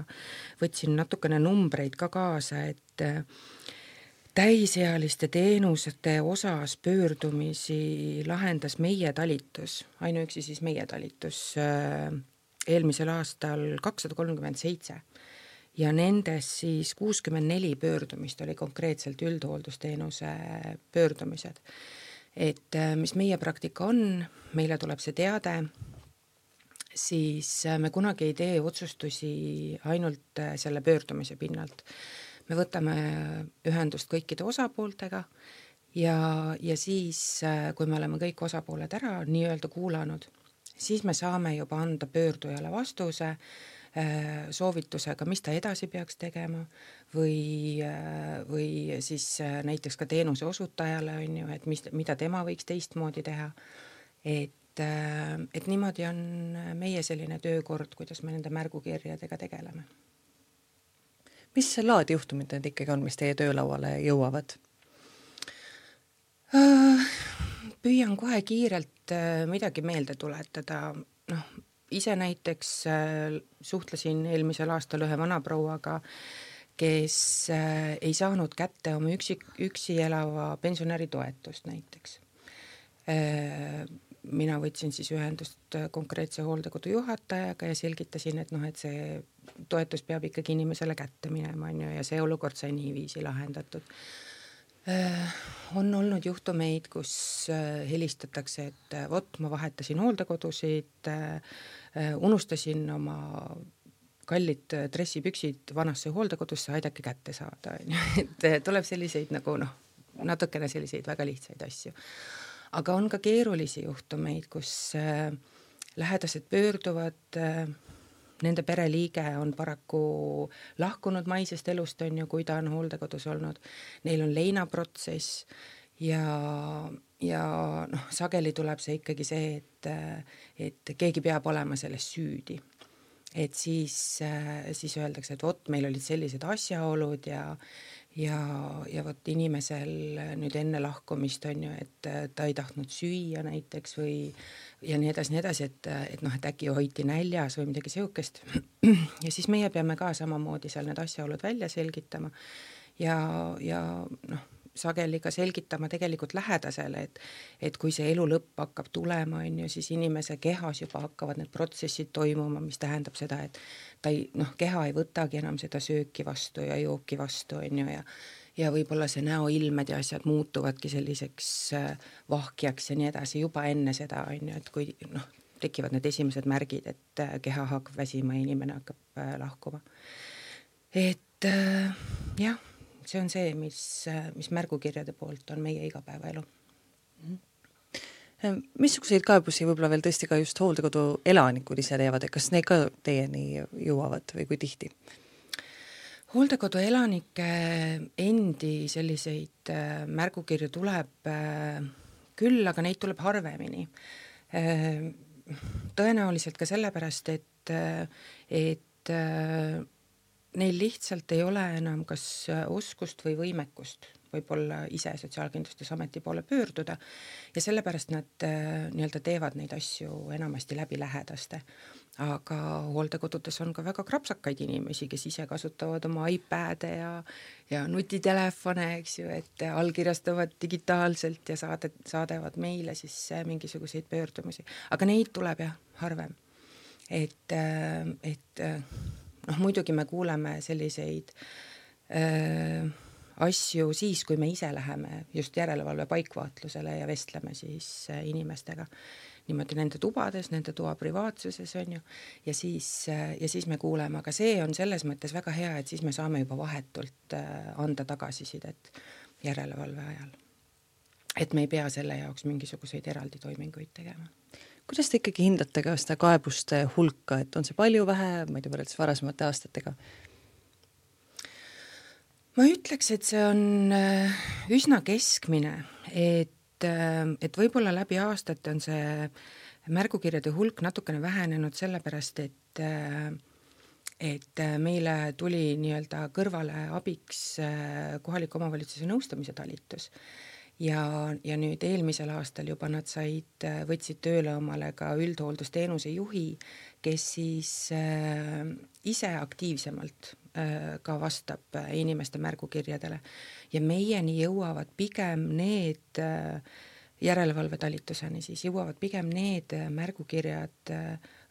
võtsin natukene numbreid ka kaasa, et äh, täisealiste teenuste osas pöördumisi lahendas meie talitus, ainuüksi siis meie talitus eelmisel aastal kakssada kolmkümmend seitse ja nendes siis kuuskümmend neli pöördumist oli konkreetselt üldhooldusteenuse pöördumised. Et mis meie praktika on, meile tuleb see teade, siis me kunagi ei tee otsustusi ainult selle pöördumise pinnalt. me võtame ühendust kõikide osapooltega ja, ja siis, kui me oleme kõik osapooled ära nii-öelda kuulanud, siis me saame juba anda pöördujale vastuse soovitusega, mis ta edasi peaks tegema või, või siis näiteks ka teenuse osutajale on ju, et mis, mida tema võiks teistmoodi teha. Et, et niimoodi on meie selline töökord, kuidas me nende märgukirjadega tegeleme. Mis laadi juhtumid need ikkagi on, mis teie töölauale jõuavad? Püüan kohe kiirelt midagi meelde tuletada. Noh, ise näiteks suhtlesin eelmisel aastal ühe vanaprouaga, kes ei saanud kätte oma üksi, üksi elava pensionäri toetust näiteks. Mina võtsin siis ühendust konkreetse hooldekodu juhatajaga ja selgitasin, et noh, et see toetus peab ikkagi inimesele kätte minema on ju, ja see olukord sai niiviisi lahendatud. On olnud juhtumeid, kus helistatakse, et vot ma vahetasin hooldekodusid, unustasin oma kallid dressipüksid vanasse hooldekodusse, aidake kätte saada. Et tuleb selliseid nagu noh, natukene selliseid väga lihtsaid asju. Aga on ka keerulisi juhtumeid, kus lähedased pöörduvad, nende pereliige on paraku lahkunud maisest elust, on ju, kui ta on hooldekodus olnud. Neil on leinaprotsess ja, ja noh, sageli tuleb see ikkagi see, et, et keegi peab olema selles süüdi. Et siis, siis öeldakse, et vot meil olid sellised asjaolud ja, ja, ja vot inimesel nüüd enne lahkumist on ju, et ta ei tahtnud süüa näiteks või ja nii edasi, nii edasi, et, et noh, et äkki hoiti näljas või midagi seukest. Ja siis meie peame ka samamoodi seal need asjaolud välja selgitama ja, ja noh, sageli ka selgitama tegelikult lähedasele, et, et kui see elu lõpp hakkab tulema, on ju, siis inimese kehas juba hakkavad need protsessid toimuma, mis tähendab seda, et ta ei, noh, keha ei võtagi enam seda sööki vastu ja jooki vastu, on ju, ja ja võib-olla see näoilmed ja asjad muutuvadki selliseks vahkjaks ja nii edasi juba enne seda, on ju, et kui noh, tekivad need esimesed märgid, et keha hakkab väsima ja inimene hakkab lahkuma. Et jah, see on see, mis, mis märgukirjade poolt on meie igapäevaelu. Missuguseid kaebusi võib-olla veel tõesti ka just hooldekodu elanikud ise teevad, et kas need ka teieni jõuavad või kui tihti? Hooldekodu elanike endi selliseid märgukirju tuleb küll, aga neid tuleb harvemini. Tõenäoliselt ka sellepärast, et, et neil lihtsalt ei ole enam kas oskust või võimekust võib-olla ise Sotsiaalkindlustusameti poole pöörduda ja sellepärast nad nii-öelda teevad neid asju enamasti läbi lähedaste. Aga hooldekodudes on ka väga krapsakaid inimesi, kes ise kasutavad oma iPade ja, ja nutitelefone, eks ju, et allkirjastavad digitaalselt ja saade, saadevad meile siis mingisuguseid pöördumisi. Aga neid tuleb jah harvem. Et, et noh, muidugi me kuuleme selliseid äh, asju siis, kui me ise läheme just järelevalve paikvaatlusele ja vestleme siis inimestega niimoodi nende tubades, nende toa privaatsuses on ju, ja siis, ja siis me kuuleme, aga see on selles mõttes väga hea, et siis me saame juba vahetult anda tagasisidet järelevalve ajal. Et me ei pea selle jaoks mingisuguseid eraldi toiminguid tegema. Kuidas te ikkagi hindate ka seda kaebuste hulka, et on see palju vähe, ma ei tea, võrreldes varasemate aastatega? Ma ütleks, et see on üsna keskmine, et et võib-olla läbi aastate on see märgukirjade hulk natukene vähenenud sellepärast, et, et meile tuli nii-öelda kõrvale abiks kohaliku omavalitsuse nõustamise talitus. Ja, ja nüüd eelmisel aastal juba nad said, võtsid tööle omale ka üldhooldusteenuse juhi, kes siis ise aktiivsemalt ka vastab inimeste märgukirjadele ja meieni jõuavad pigem need järelevalvetalituseni, siis jõuavad pigem need märgukirjad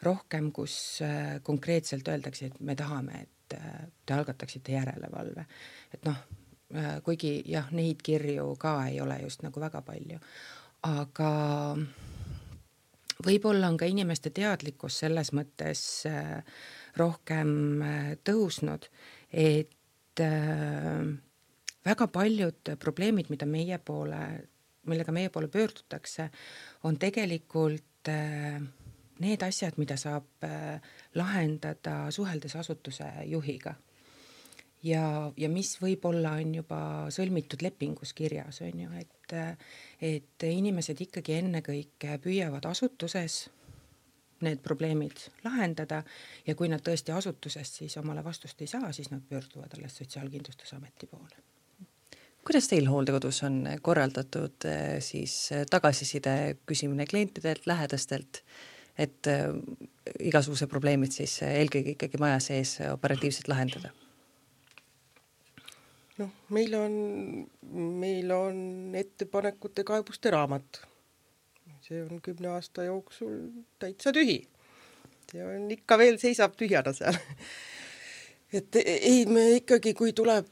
rohkem, kus konkreetselt öeldakse, et me tahame, et te algataksite järelevalve. Et noh, kuigi jah, neid kirju ka ei ole just nagu väga palju, aga võib-olla on ka inimeste teadlikkus selles mõttes rohkem tõusnud, et et äh, väga paljud probleemid, mida meie poole, millega meie poole pöördutakse, on tegelikult äh, need asjad, mida saab äh, lahendada suheldes asutuse juhiga. Ja, ja mis võib-olla on juba sõlmitud lepingus kirjas, on ju, et, et inimesed ikkagi ennekõike püüavad asutuses need probleemid lahendada ja kui nad tõesti asutusest siis omale vastust ei saa, siis nad pöörduvad alles Sotsiaalkindlustusameti poole. Kuidas teil hooldekodus on korraldatud siis tagasiside küsimine klientidelt, lähedastelt, et igasuguse probleemid siis eelkõige ikkagi maja sees operatiivselt lahendada? noh, meil on, meil on ettepanekute kaebuste raamat. See on kümne aasta jooksul täitsa tühi. See on ikka veel seisab tühjana seal. et ei, me ikkagi, kui tuleb,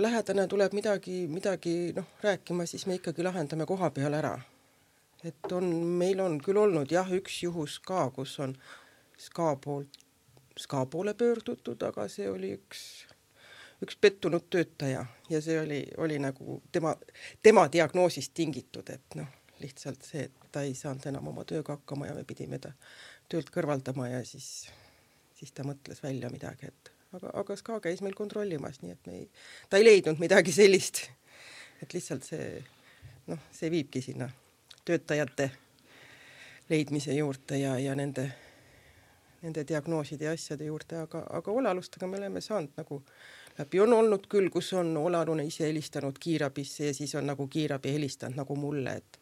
lähedane tuleb midagi, midagi noh, rääkima, siis me ikkagi lahendame koha peal ära. Et on, meil on küll olnud jah, üks juhus ka, kus on ska, poolt, ska poole pöördutud, aga see oli üks üks pettunud töötaja ja see oli, oli nagu tema, tema diagnoosist tingitud, et noh, lihtsalt see, et ta ei saanud enam oma tööga hakkama ja me pidime ta töölt kõrvaldama ja siis, siis ta mõtles välja midagi, et aga, aga ska käis meil kontrollimas, nii et me ei, ta ei leidnud midagi sellist, et lihtsalt see, noh, see viibki sinna töötajate leidmise juurde ja, ja nende, nende diagnooside ja asjade juurde, aga, aga olealustega me oleme saanud nagu läbi on olnud küll, kus on olalune ise helistanud kiirabisse ja siis on nagu kiirabi helistanud nagu mulle, et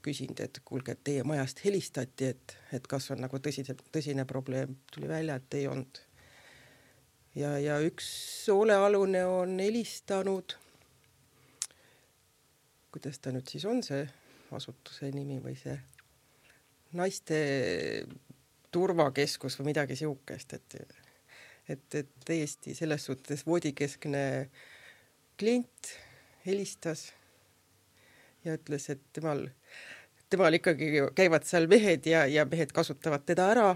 küsinud, et kuulge, et teie majast helistati, et, et kas on nagu tõsine, tõsine probleem. Tuli välja, et ei olnud. Ja, ja üks olealune on helistanud, kuidas ta nüüd siis on see asutuse nimi või see naiste turvakeskus või midagi siukest, et Et, et täiesti selles suhtes voodikeskne klient helistas ja ütles, et temal, temal ikkagi käivad seal mehed ja, ja mehed kasutavad teda ära.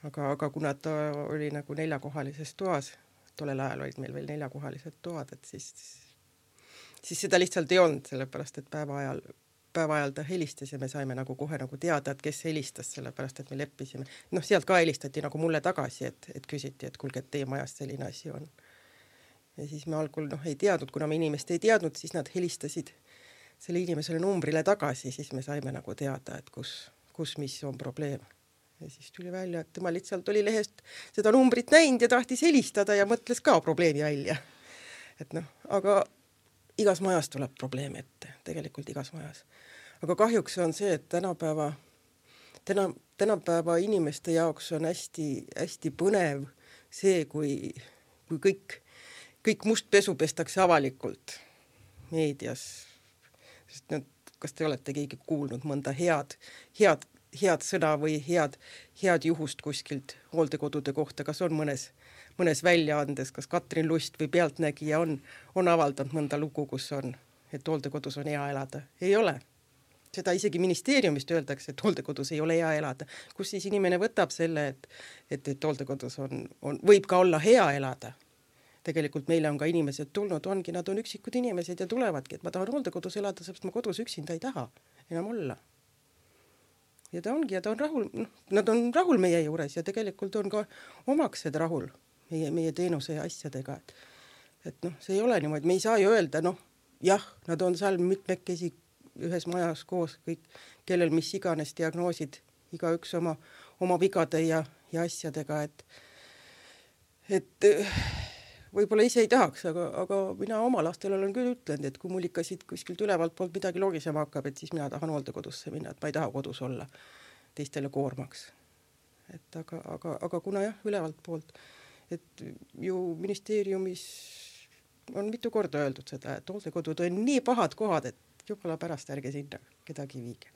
Aga, aga kuna ta oli nagu neljakohalises toas, tollel ajal olid meil veel neljakohalised toad, et siis, siis seda lihtsalt ei olnud, sellepärast, et päeva ajal päeva ajal ta helistas ja me saime nagu kohe nagu teada, et kes helistas, sellepärast, et me leppisime. Noh, sealt ka helistati nagu mulle tagasi, et, et küsiti, et kuulge, et teie majast selline asi on. Ja siis me algul noh, ei teadnud, kuna me inimest ei teadnud, siis nad helistasid selle inimesele numbrile tagasi, siis me saime nagu teada, et kus, kus mis on probleem. Ja siis tuli välja, et tema lihtsalt oli lehest seda numbrit näinud ja tahtis helistada ja mõtles ka probleemi välja. Et noh, aga igas majas tuleb probleem ette, tegelikult igas majas. Aga kahjuks on see, et tänapäeva, täna, tänapäeva inimeste jaoks on hästi, hästi põnev see, kui, kui kõik, kõik must pesu pestakse avalikult meedias. Sest nüüd, kas te olete keegi kuulnud mõnda head, head, head sõna või head, head juhust kuskilt hooldekodude kohta, kas on mõnes mõnes väljaandes, kas Katrin Lust või Pealtnägija on, on avaldanud mõnda lugu, kus on, et hooldekodus on hea elada. Ei ole. Seda isegi ministeeriumist öeldakse, et hooldekodus ei ole hea elada. Kus siis inimene võtab selle, et, et, et hooldekodus on, on, võib ka olla hea elada. Tegelikult meile on ka inimesed tulnud, ongi, nad on üksikud inimesed ja tulevadki, et ma tahan hooldekodus elada, sest ma kodus üksinda ei taha enam olla. Ja ta ongi, ja ta on rahul, noh, nad on rahul meie juures ja tegelikult on ka omaksed rahul meie, meie teenuse ja asjadega. Et, et noh, see ei ole niimoodi, me ei saa ju öelda, noh, jah, nad on seal mitmekesi ühes majas koos, kõik, kellel mis iganes diagnoosid, iga üks oma, oma vigade ja, ja asjadega, et, et võib-olla ise ei tahaks, aga, aga mina oma lastel olen küll ütlenud, et kui mul ikka siit kuskilt ülevalt poolt midagi logisema hakkab, et siis mina tahan hooldekodusse minna, et ma ei taha kodus olla teistele koormaks. Et aga, aga, aga kuna jah, ülevalt poolt, et ju ministeeriumis on mitu korda öeldud seda, et hooldekodud on nii pahad kohad, et jumala pärast ärge sinna kedagi viige.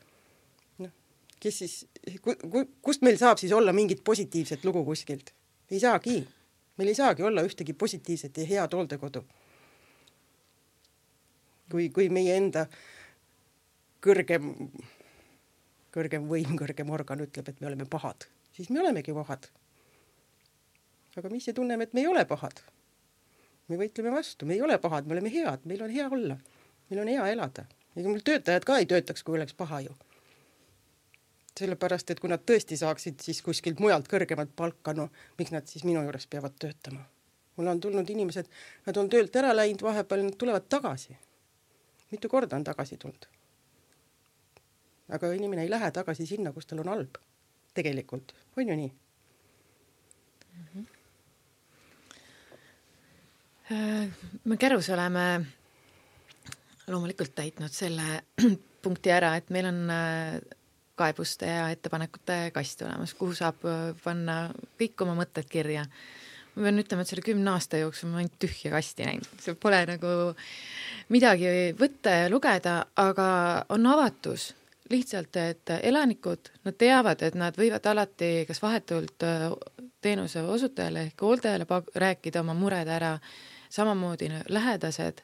No, kes siis, kust meil saab siis olla mingit positiivset lugu kuskilt? Ei saagi. Meil ei saagi olla ühtegi positiivset ja head hooldekodu. Kui, kui meie enda kõrgem, kõrgem võim, kõrgem organ ütleb, et me oleme pahad, siis me olemegi pahad. Aga mis see tunneme, et me ei ole pahad? me võitleme vastu, me ei ole pahad, me oleme head, meil on hea olla, meil on hea elada. Ega mul töötajad ka ei töötaks, kui oleks paha ju. Sellepärast, et kui nad tõesti saaksid siis kuskilt mujalt kõrgemat palka, no miks nad siis minu juures peavad töötama? Mul on tulnud inimesed, nad on töölt ära läinud vahepeal, nad tulevad tagasi. Mitu korda on tagasi tulnud. Aga inimene ei lähe tagasi sinna, kus tal on halb. Tegelikult, on ju nii? Mm-hmm. Me Kärus oleme loomulikult täitnud selle punkti ära, et meil on kaebuste ja ettepanekute kast olemas, kuhu saab panna kõik oma mõtted kirja. Ma pean ütlema, et selle kümne aasta jooksul ma ainult tühja kasti näinud. See pole nagu midagi võtta ja lugeda, aga on avatus. Lihtsalt, et elanikud, nad teavad, et nad võivad alati kas vahetult teenuse osutajale ehk hooldajale rääkida oma mured ära. Samamoodi lähedased,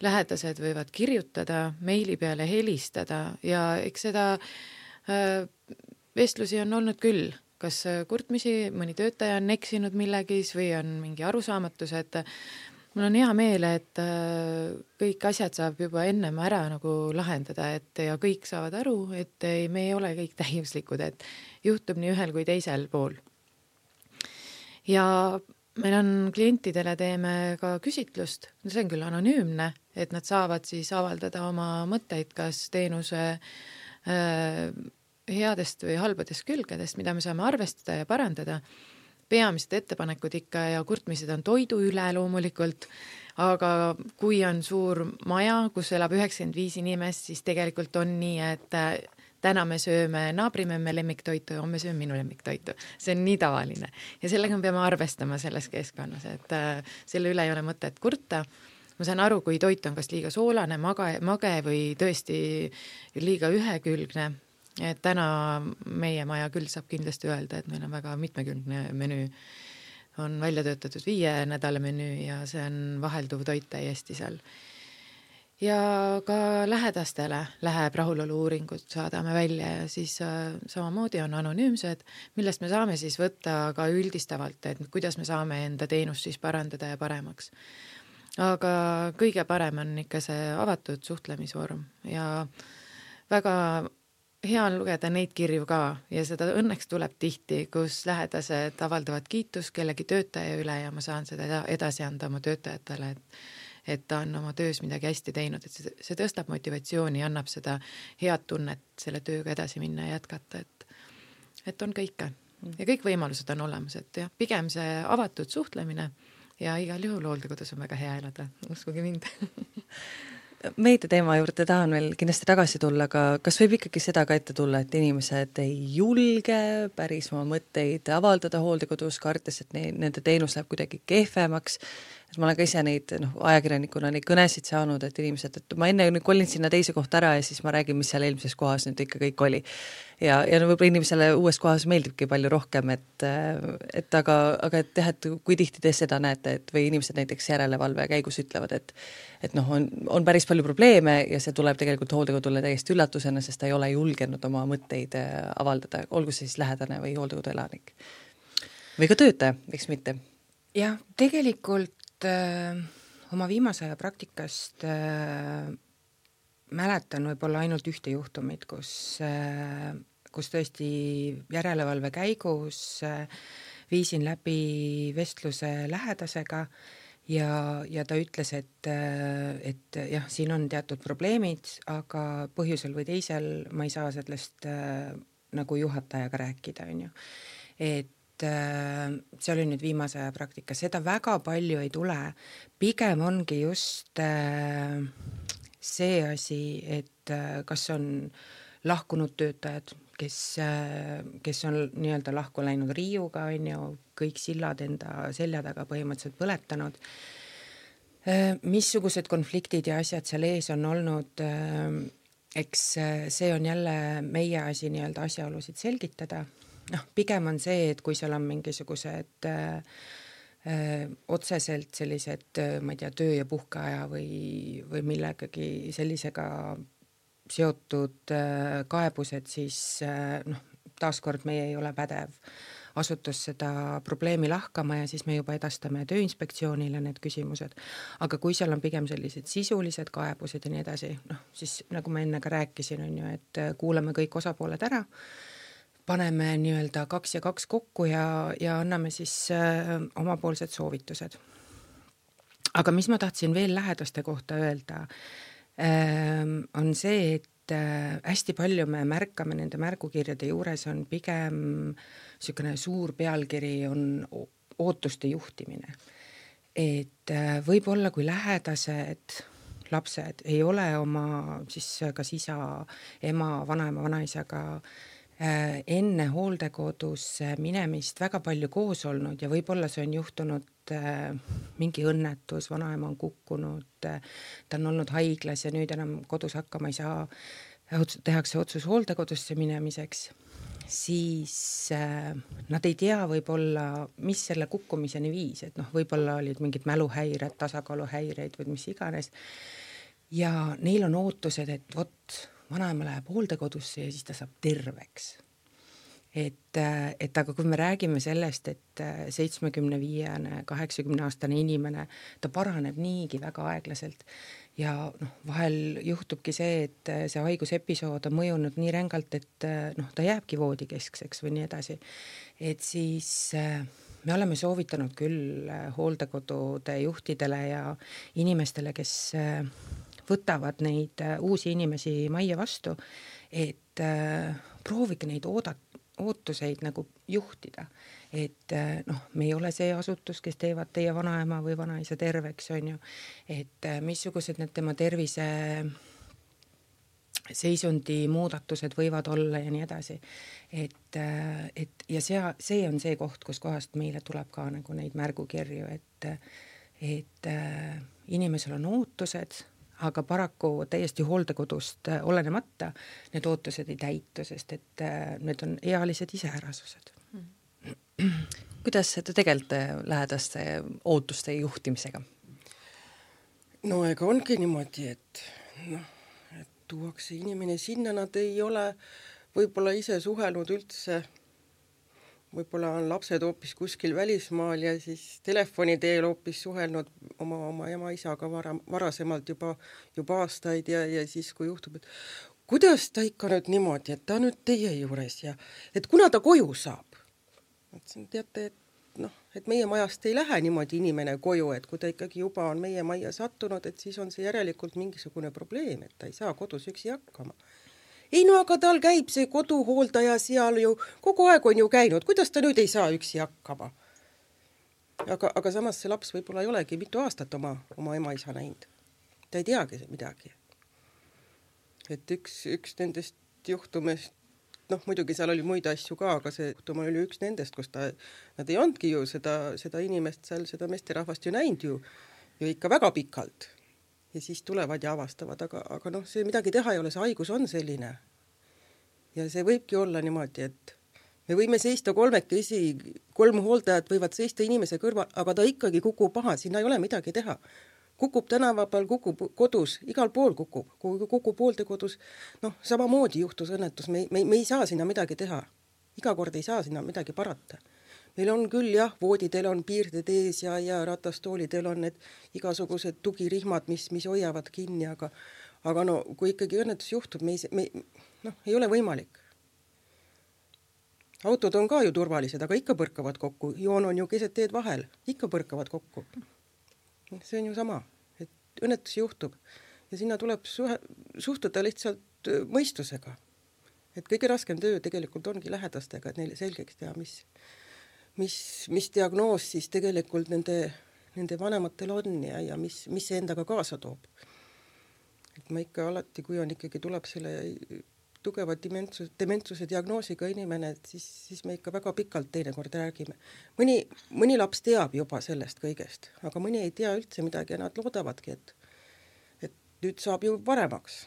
lähedased võivad kirjutada, meili peale helistada ja eks seda vestlusi on olnud küll. Kas kurtmisi, mõni töötaja on eksinud millegis või on mingi arusaamatus, et mul on hea meel, et kõik asjad saab juba ennem ära nagu lahendada, et ja kõik saavad aru, et ei, me ei ole kõik täiuslikud, et juhtub nii ühel kui teisel pool. Ja meil on klientidele teeme ka küsitlust, see on küll anonüümne, et nad saavad siis avaldada oma mõtteid, kas teenuse äh, headest või halbadest külgedest, mida me saame arvestada ja parandada. Peamised ettepanekud ikka ja kurtmised on toidu üle loomulikult, aga kui on suur maja, kus elab üheksakümmend viis inimest, siis tegelikult on nii, et täna me sööme naabrimemme lemmiktoitu ja homme sööme minu lemmiktoitu. See on nii tavaline. Ja sellega me peame arvestama selles keskkonnas, et selle üle ei ole mõtet kurta. Ma saan aru, kui toit on kas liiga soolane, mage, mage või tõesti liiga ühekülgne. Et täna meie maja küll saab kindlasti öelda, et meil on väga mitmekülgne menüü. On välja töötatud viie nädala menüü ja see on vahelduv toit täiesti seal. Ja ka lähedastele läheb rahulolu uuringut saadame välja ja siis äh, samamoodi on anonüümsed, millest me saame siis võtta ka üldistavalt, et kuidas me saame enda teenust siis parandada ja paremaks. Aga kõige parem on ikka see avatud suhtlemisvorm ja väga hea on lugeda neid kirju ka ja seda õnneks tuleb tihti, kus lähedased avaldavad kiitus kellegi töötaja üle ja ma saan seda edasi anda oma töötajatele, et, et ta on oma töös midagi hästi teinud, et see, see tõstab motivatsiooni, annab seda head tunnet selle tööga edasi minna ja jätkata, et, et on kõike. Ja kõik võimalused on olemas, et jah, pigem see avatud suhtlemine ja igal juhul hooldekodus on väga hea elada, uskuge mind. Meedia teema juurde tahan veel kindlasti tagasi tulla, aga kas võib ikkagi seda ka ette tulla, et inimesed ei julge päris oma mõtteid avaldada hooldekodus, kartes, et ne, nende teenus läheb kuidagi kehvemaks. Et ma olen ka ise neid noh, ajakirjanikuna neid kõnesid saanud, et inimesed, et ma enne kolin sinna teise kohta ära ja siis ma räägin, mis seal eelmises kohas nüüd ikka kõik oli. Ja, ja no võib-olla inimesele uues kohas meeldibki palju rohkem, et, et aga, aga et jah, et kui tihti te seda näete, et või inimesed näiteks järelevalve käigus ütlevad, et, et noh, on, on päris palju probleeme ja see tuleb tegelikult hooldekodule täiesti üllatusena, sest ta ei ole julgenud oma mõtteid avaldada, olgu see siis lähedane või hooldekodu elanik. Või ka töötaja, miks mitte? Jah, tegelikult äh, oma viimase aja praktikast äh, mäletan võib-olla ainult ühte juhtumit, kus, äh, kus tõesti järelevalve käigus äh, viisin läbi vestluse lähedasega ja, ja ta ütles, et, äh, et jah, siin on teatud probleemid, aga põhjusel või teisel ma ei saa sellest äh, nagu juhatajaga rääkida, on ju. Et see oli nüüd viimase aja praktika, seda väga palju ei tule, pigem ongi just see asi, et kas on lahkunud töötajad, kes, kes on nii-öelda lahku läinud riiuga, on ju, kõik sillad enda selja taga põhimõtteliselt põletanud, missugused konfliktid ja asjad seal ees on olnud, eks see on jälle meie asi nii-öelda asjaolusid selgitada. noh, pigem on see, et kui seal on mingisugused äh, äh, otseselt sellised, ma ei tea, töö ja puhkeaja või, või millegagi sellisega seotud äh, kaebused, siis äh, noh, taaskord meie ei ole pädev asutus seda probleemi lahkama ja siis me juba edastame Tööinspektsioonile need küsimused. Aga kui seal on pigem sellised sisulised kaebused ja nii edasi, noh, siis nagu ma enne ka rääkisin, on ju, et kuulame kõik osapooled ära, paneme nii-öelda kaks ja kaks kokku ja, ja anname siis äh, omapoolsed soovitused. Aga mis ma tahtsin veel lähedaste kohta öelda, äh, on see, et äh, hästi palju me märkame nende märgukirjade juures on pigem niisugune suur pealkiri on ootuste juhtimine. Et äh, võib-olla kui lähedased lapsed ei ole oma siis kas isa, ema, vanaema, vanaisaga enne hooldekodusse minemist väga palju koos olnud ja võib-olla see on juhtunud äh, mingi õnnetus, vanaema on kukkunud, äh, ta on olnud haiglas ja nüüd enam kodus hakkama ei saa, tehakse otsus hooldekodusse minemiseks, siis äh, nad ei tea võib-olla, mis selle kukkumiseni viis, et noh, võib-olla olid mingid mäluhäired, tasakaaluhäireid või mis iganes ja neil on ootused, et vot vanaema läheb hooldekodusse ja siis ta saab terveks. Et, et aga kui me räägime sellest, et seitsmekümne viiene, kaheksakümne aastane inimene, ta paraneb niigi väga aeglaselt ja noh, vahel juhtubki see, et see haigusepisood on mõjunud nii rängalt, et noh, ta jääbki voodikeskseks või nii edasi. Et siis me oleme soovitanud küll hooldekodude juhtidele ja inimestele, kes võtavad neid uusi inimesi majja vastu, et äh, proovige neid oodat, ootuseid nagu juhtida. Et äh, noh, me ei ole see asutus, kes teevad teie vanaema või vanaisa terveks, on ju. Et äh, missugused need tema tervise seisundi muudatused võivad olla ja nii edasi. Et, äh, et ja see, see on see koht, kus kohast meile tuleb ka nagu neid märgukirju, et, et äh, inimesel on ootused, aga paraku täiesti hooldekodust olenemata need ootused ei täitu, sest et need on ealised iseärasused. Kuidas te tegelete lähedaste ootuste juhtimisega? No ega ongi niimoodi, et, noh, et tuuakse inimene sinna, nad ei ole võib-olla ise suhelnud üldse, võib-olla on lapsed hoopis kuskil välismaal ja siis telefoni teel hoopis suhelnud oma, oma ema-isaga vara, varasemalt juba, juba aastaid ja, ja siis kui juhtub, et kuidas ta ikka nüüd niimoodi, et ta nüüd teie juures ja et kuna ta koju saab. Et teate, et, noh, et meie majast ei lähe niimoodi inimene koju, et kui ta ikkagi juba on meie majja sattunud, et siis on see järelikult mingisugune probleem, et ta ei saa kodus üksi hakkama. Ei no aga tal käib see koduhooldaja seal ju, kogu aeg on ju käinud, kuidas ta nüüd ei saa üksi hakkama? Aga, aga samas see laps võib-olla ei olegi mitu aastat oma, oma ema-isa näinud. Ta ei teagi midagi. Et üks, üks nendest juhtumist, noh muidugi seal oli muid asju ka, aga see juhtum oli üks nendest, kus ta, nad ei ondki ju seda, seda inimest seal, seda meesterahvast ju näinud ju, ju ikka väga pikalt. Ja siis tulevad ja avastavad, aga, aga noh, see midagi teha ei ole, see haigus on selline. Ja see võibki olla niimoodi, et me võime seista kolmekesi, kolm hooldajat võivad seista inimese kõrval, aga ta ikkagi kukub maha, sinna ei ole midagi teha. Kukub tänavapal, kukub kodus, igal pool kukub, kukub hooldekodus, noh, samamoodi juhtus õnnetus, me, me, me ei saa sinna midagi teha. Iga kord ei saa sinna midagi parata. Meil on küll jah, voodidel on piirded ees ja, ja ratastoolidel on need igasugused tugirihmad, mis, mis hoiavad kinni, aga, aga no kui ikkagi õnnetus juhtub, me ei, me, noh, ei ole võimalik. Autod on ka ju turvalised, aga ikka põrkavad kokku. Joon on ju keset teed vahel, ikka põrkavad kokku. See on ju sama, et õnnetus juhtub ja sinna tuleb suhe, suhtuda lihtsalt mõistusega. Et kõige raskem töö tegelikult ongi lähedastega, et neile selgeks teha, mis Mis, mis diagnoos siis tegelikult nende, nende vanematel on ja, ja mis, mis see endaga kaasa toob. Et ma ikka alati, kui on ikkagi tuleb selle tugeva dementsuse, dementsuse diagnoosiga inimene, et siis, siis me ikka väga pikalt teinekord räägime. Mõni, mõni laps teab juba sellest kõigest, aga mõni ei tea üldse midagi ja nad loodavadki, et, et nüüd saab ju paremaks.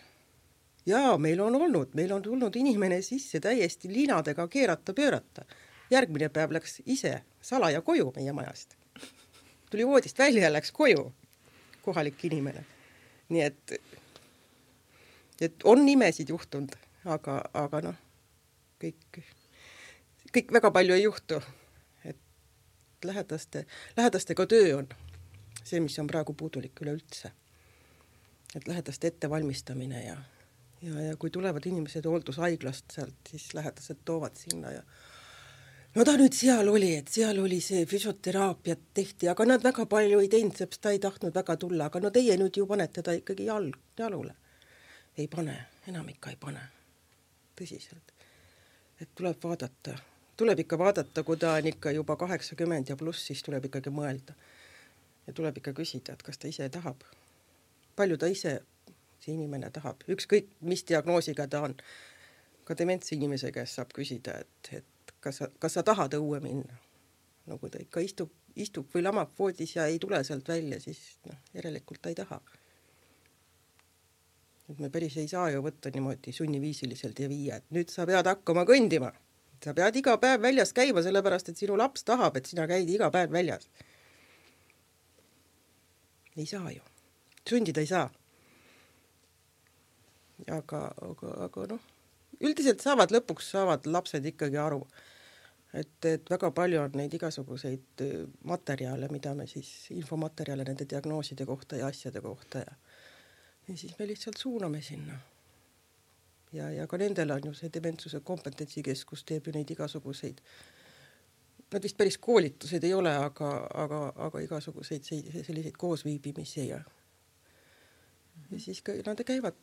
Jaa, meil on olnud, meil on tulnud inimene sisse täiesti liinadega keerata, pöörata. Järgmine päev läks ise salaja koju meie majast. Tuli voodist välja ja läks koju kohalik inimene. Nii et, et on nimesid juhtunud, aga, aga noh, kõik kõik väga palju ei juhtu. Et lähedaste, lähedastega töö on see, mis on praegu puudulik üleüldse. Et lähedaste ettevalmistamine ja, ja, ja kui tulevad inimesed hooldushaiglast sealt, siis lähedased toovad sinna ja no ta nüüd seal oli, et seal oli see füsioteraapiat tehti, aga nad väga palju ei teinud, seepärast ta ei tahtnud väga tulla, aga no teie nüüd ju panete ta ikkagi jalg, jalule. Ei pane, enam ikka ei pane. Tõsiselt. Et tuleb vaadata, tuleb ikka vaadata, kui ta on ikka juba kaheksakümmend ja pluss, siis tuleb ikkagi mõelda. Ja tuleb ikka küsida, et kas ta ise tahab. Palju ta ise, see inimene tahab. Ükskõik, mis diagnoosiga ta on. Ka dementsi inimese käest saab küsida, et, et Kas sa, kas sa tahad õue minna? No kui ta ikka istub, istub või lamab voodis ja ei tule sealt välja, siis no, järelikult ta ei taha. Et me päris ei saa ju võtta niimoodi sunniviisiliselt ja viia, et nüüd sa pead hakkama kõndima. Sa pead iga päev väljas käima, sellepärast, et sinu laps tahab, et sina käid iga päev väljas. Ei saa ju. Sundida ei saa. Aga, aga, aga noh, üldiselt saavad lõpuks saavad lapsed ikkagi aru, et, et väga palju on neid igasuguseid materjale, mida me siis, infomaterjale nende diagnooside kohta ja asjade kohta ja, ja siis me lihtsalt suuname sinna. Ja, ja ka nendel on ju see dementsuse kompetentsikeskus teeb ju neid igasuguseid, nad vist päris koolitused ei ole, aga, aga, aga igasuguseid selliseid koosviibimisi ja, ja siis ka, nad käivad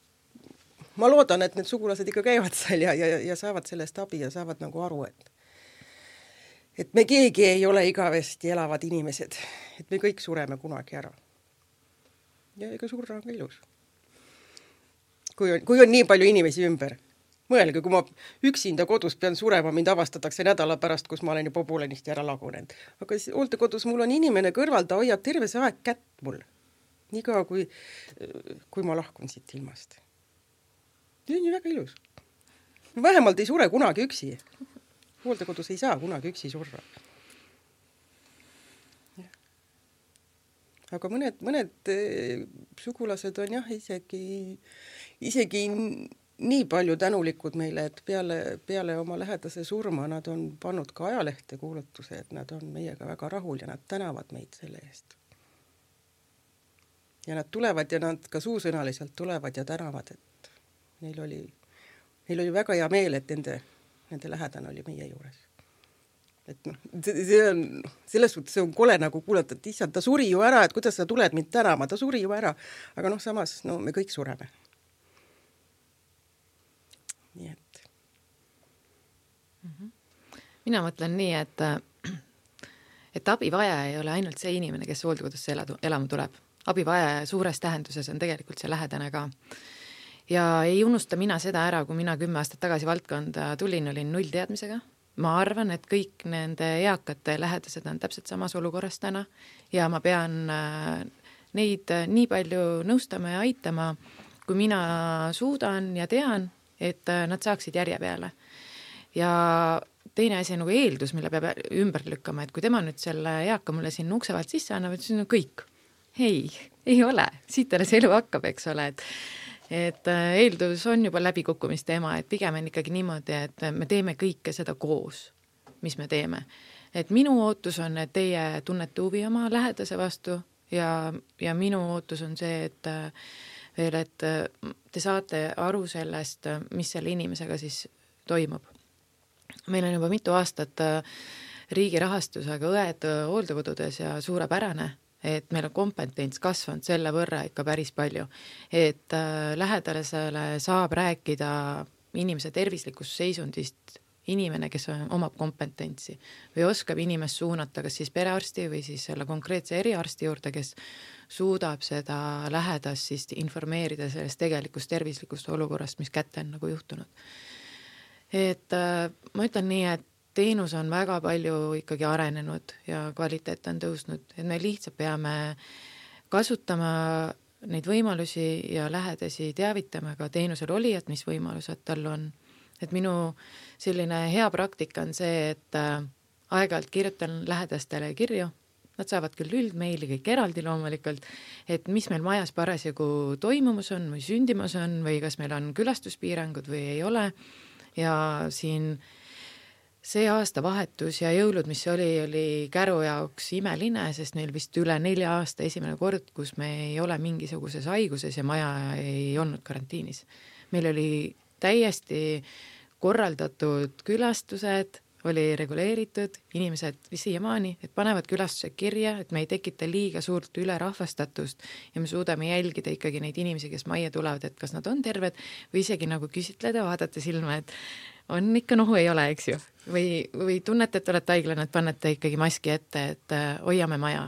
ma loodan, et need sugulased ikka käivad seal ja, ja, ja saavad sellest abi ja saavad nagu aru, et et me keegi ei ole igavesti elavad inimesed, et me kõik sureme kunagi ära. Ja ega surra on ka ilus. Kui on, kui on nii palju inimesi ümber. Mõelge, kui ma üksinda kodus pean surema, mind avastatakse nädala pärast, kus ma olen juba poolenisti ära lagunenud. Aga hooldekodus mul on inimene kõrval, ta hoiab terve see aeg kätt mul. Nii kaua, kui, kui ma lahkun siit ilmast. See on ju väga ilus. Vähemalt ei sure kunagi üksi. Hooldekodus ei saa kunagi üksi surra. Ja. Aga mõned, mõned sugulased on jah isegi, isegi nii palju tänulikud meile, et peale, peale oma lähedase surma nad on pannud ka ajalehte kuulutuse, et nad on meiega väga rahul ja nad tänavad meid selle eest. Ja nad tulevad ja nad ka suusõnaliselt tulevad ja tänavad, et Neil oli, neil oli väga hea meel, et nende, nende lähedane oli meie juures. Et noh, see on, selles suhtes see on kole nagu kuulata, et issand, ta suri ju ära, et kuidas sa tuled mind tänama, ta suri ju ära. Aga noh, samas, no me kõik sureme. Nii et. Mina mõtlen nii, et, et abivaja ei ole ainult see inimene, kes hooldekodusse elama tuleb. Abivaja suures tähenduses on tegelikult see lähedane ka. Ja ei unusta mina seda ära, kui mina kümme aastat tagasi valdkonda tulin, olin null teadmisega. Ma arvan, et kõik nende eakate lähedased on täpselt samas olukorras täna ja ma pean neid nii palju nõustama ja aitama, kui mina suudan ja tean, et nad saaksid järje peale. Ja teine asi on nagu eeldus, mille peab ümber lükkama, et kui tema nüüd selle eaka mulle siin uksevalt sisse annab, et siis on kõik. Ei, ei ole. Siit alles elu hakkab, eks ole, et et eeldus on juba läbikukkumist teema, et pigem on ikkagi niimoodi, et me teeme kõike seda koos, mis me teeme. Et minu ootus on, et teie tunnete huvi oma lähedase vastu ja, ja minu ootus on see, et veel, et te saate aru sellest, mis selle inimesega siis toimub. Meil on juba mitu aastat riigi rahastusega õed hooldekodudes ja suurepärane, et meil on kompetents kasvanud selle võrra ikka päris palju, et äh, lähedasele saab rääkida inimese tervislikust seisundist inimene, kes on, omab kompetentsi või oskab inimest suunata kas siis perearsti või siis selle konkreetse eriarsti juurde, kes suudab seda lähedast siis informeerida sellest tegelikust tervislikust olukorrast, mis kätte on nagu juhtunud. Et äh, ma ütlen nii, et teenus on väga palju ikkagi arenenud ja kvaliteet on tõusnud, et me lihtsalt peame kasutama neid võimalusi ja lähedasi teavitama ka teenusel olijad, mis võimalused tal on. Et minu selline hea praktika on see, et aeg-ajalt kirjutan lähedastele kirju, nad saavad küll üldmeili kõik eraldi loomulikult, et mis meil majas parasjagu toimumus on või sündimus on või kas meil on külastuspiirangud või ei ole ja siin see aastavahetus ja jõulud, mis oli, oli Käru jaoks imeline, sest neil vist üle nelja aasta esimene kord, kus me ei ole mingisuguses haiguses ja maja ei olnud karantiinis. Meil oli täiesti korraldatud külastused, oli reguleeritud, inimesed siiamaani, et panevad külastuse kirja, et me ei tekita liiga suurt ülerahvastatust ja me suudame jälgida ikkagi neid inimesi, kes majja tulevad, et kas nad on terved või isegi nagu küsitleda, vaadata silma, et on ikka nohu, ei ole, eks ju. Või, või tunnete, et olete haiglane, et panete ikkagi maski ette, et hoiame maja.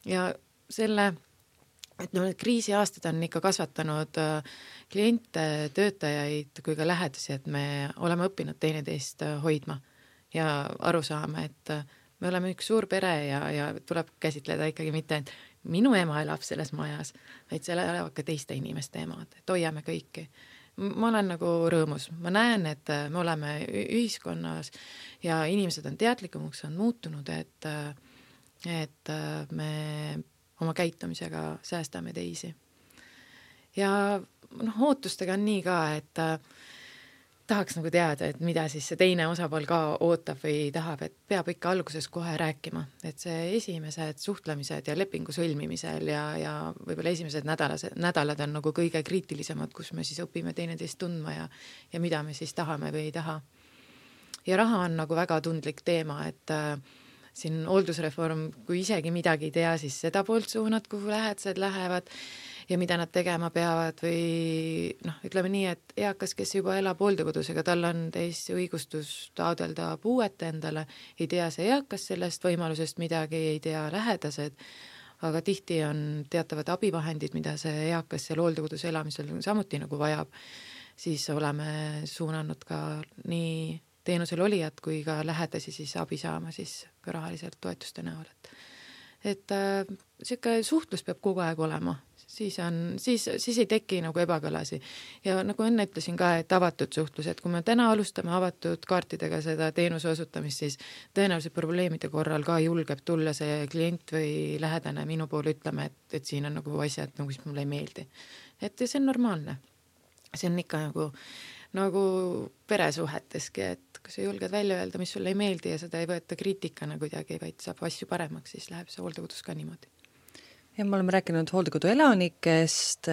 Ja selle, et no kriisiaastad on ikka kasvatanud kliente, töötajaid kui ka lähedasi, et me oleme õppinud teineteist hoidma ja aru saama, et me oleme üks suur pere ja, ja tuleb käsitleda ikkagi mitte, et minu ema elab selles majas, vaid seal elavad ka teiste inimeste emad, et hoiame kõiki. Ma olen nagu rõõmus, ma näen, et me oleme ühiskonnas ja inimesed on teadlikumaks, on muutunud, et, et me oma käitumisega säästame teisi. Ja noh, ootustega on nii ka, et tahaks nagu teada, et mida siis see teine osapool ka ootab või tahab, et peab ikka alguses kohe rääkima, et see esimesed suhtlemised ja lepingu sõlmimisel ja, ja võib-olla esimesed nädalas, nädalad on nagu kõige kriitilisemad, kus me siis õpime teineteist tundma ja, ja mida me siis tahame või ei taha. Ja raha on nagu väga tundlik teema, et äh, siin hooldusreform, kui isegi midagi ei tea, siis seda poolt suunad, kuhu lähedased lähevad ja mida nad tegema peavad või noh, ütleme nii, et eakas, kes juba elab hooldekodus, ega tal on täiesti õigustus taodelda puuet endale, ei tea see eakas sellest võimalusest midagi, ei tea lähedased, aga tihti on teatavad abivahendid, mida see eakas seal hooldekodus elamisel samuti nagu vajab, siis oleme suunanud ka nii teenusel olijad kui ka lähedasi siis abi saama siis ka rahaliselt toetuste näol. Et, et äh, siuke suhtlus peab kogu aeg olema. Siis, on, siis, siis ei teki nagu ebakõlasi. Ja nagu enne ütlesin ka, et avatud suhtlus, et kui me täna alustame avatud kaartidega seda teenuse osutamist, siis tõenäoliselt probleemide korral ka julgeb tulla see klient või lähedane minu poole ütlema, et, et siin on nagu asjad, nagu mis mulle ei meeldi. Et see on normaalne. See on ikka nagu, nagu peresuheteski, et kui sa julged välja öelda, mis sulle ei meeldi ja seda ei võeta kriitikana kuidagi, vaid saab asju paremaks, siis läheb see hooldekodus ka niimoodi. Ja me oleme rääkinud hooldekodu elanikest,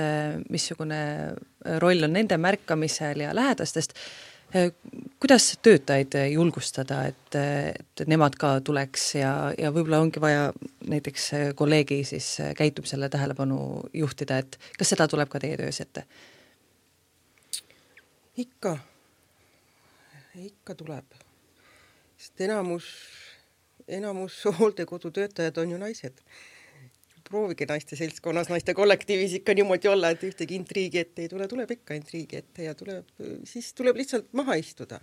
missugune roll on nende märkamisel ja lähedastest. Kuidas töötajaid julgustada, et, et nemad ka tuleks ja, ja võib-olla ongi vaja näiteks kolleegi siis käitumisele tähelepanu juhtida, et kas seda tuleb ka teie töös ette? Ikka, ikka tuleb. Sest enamus, enamus hooldekodu töötajad on ju naised. Proovige naiste seltskonnas, naiste kollektiivis ikka niimoodi olla, et ühtegi intriigi ette ei tule, tuleb ikka intriigi ette ja tuleb, siis tuleb lihtsalt maha istuda.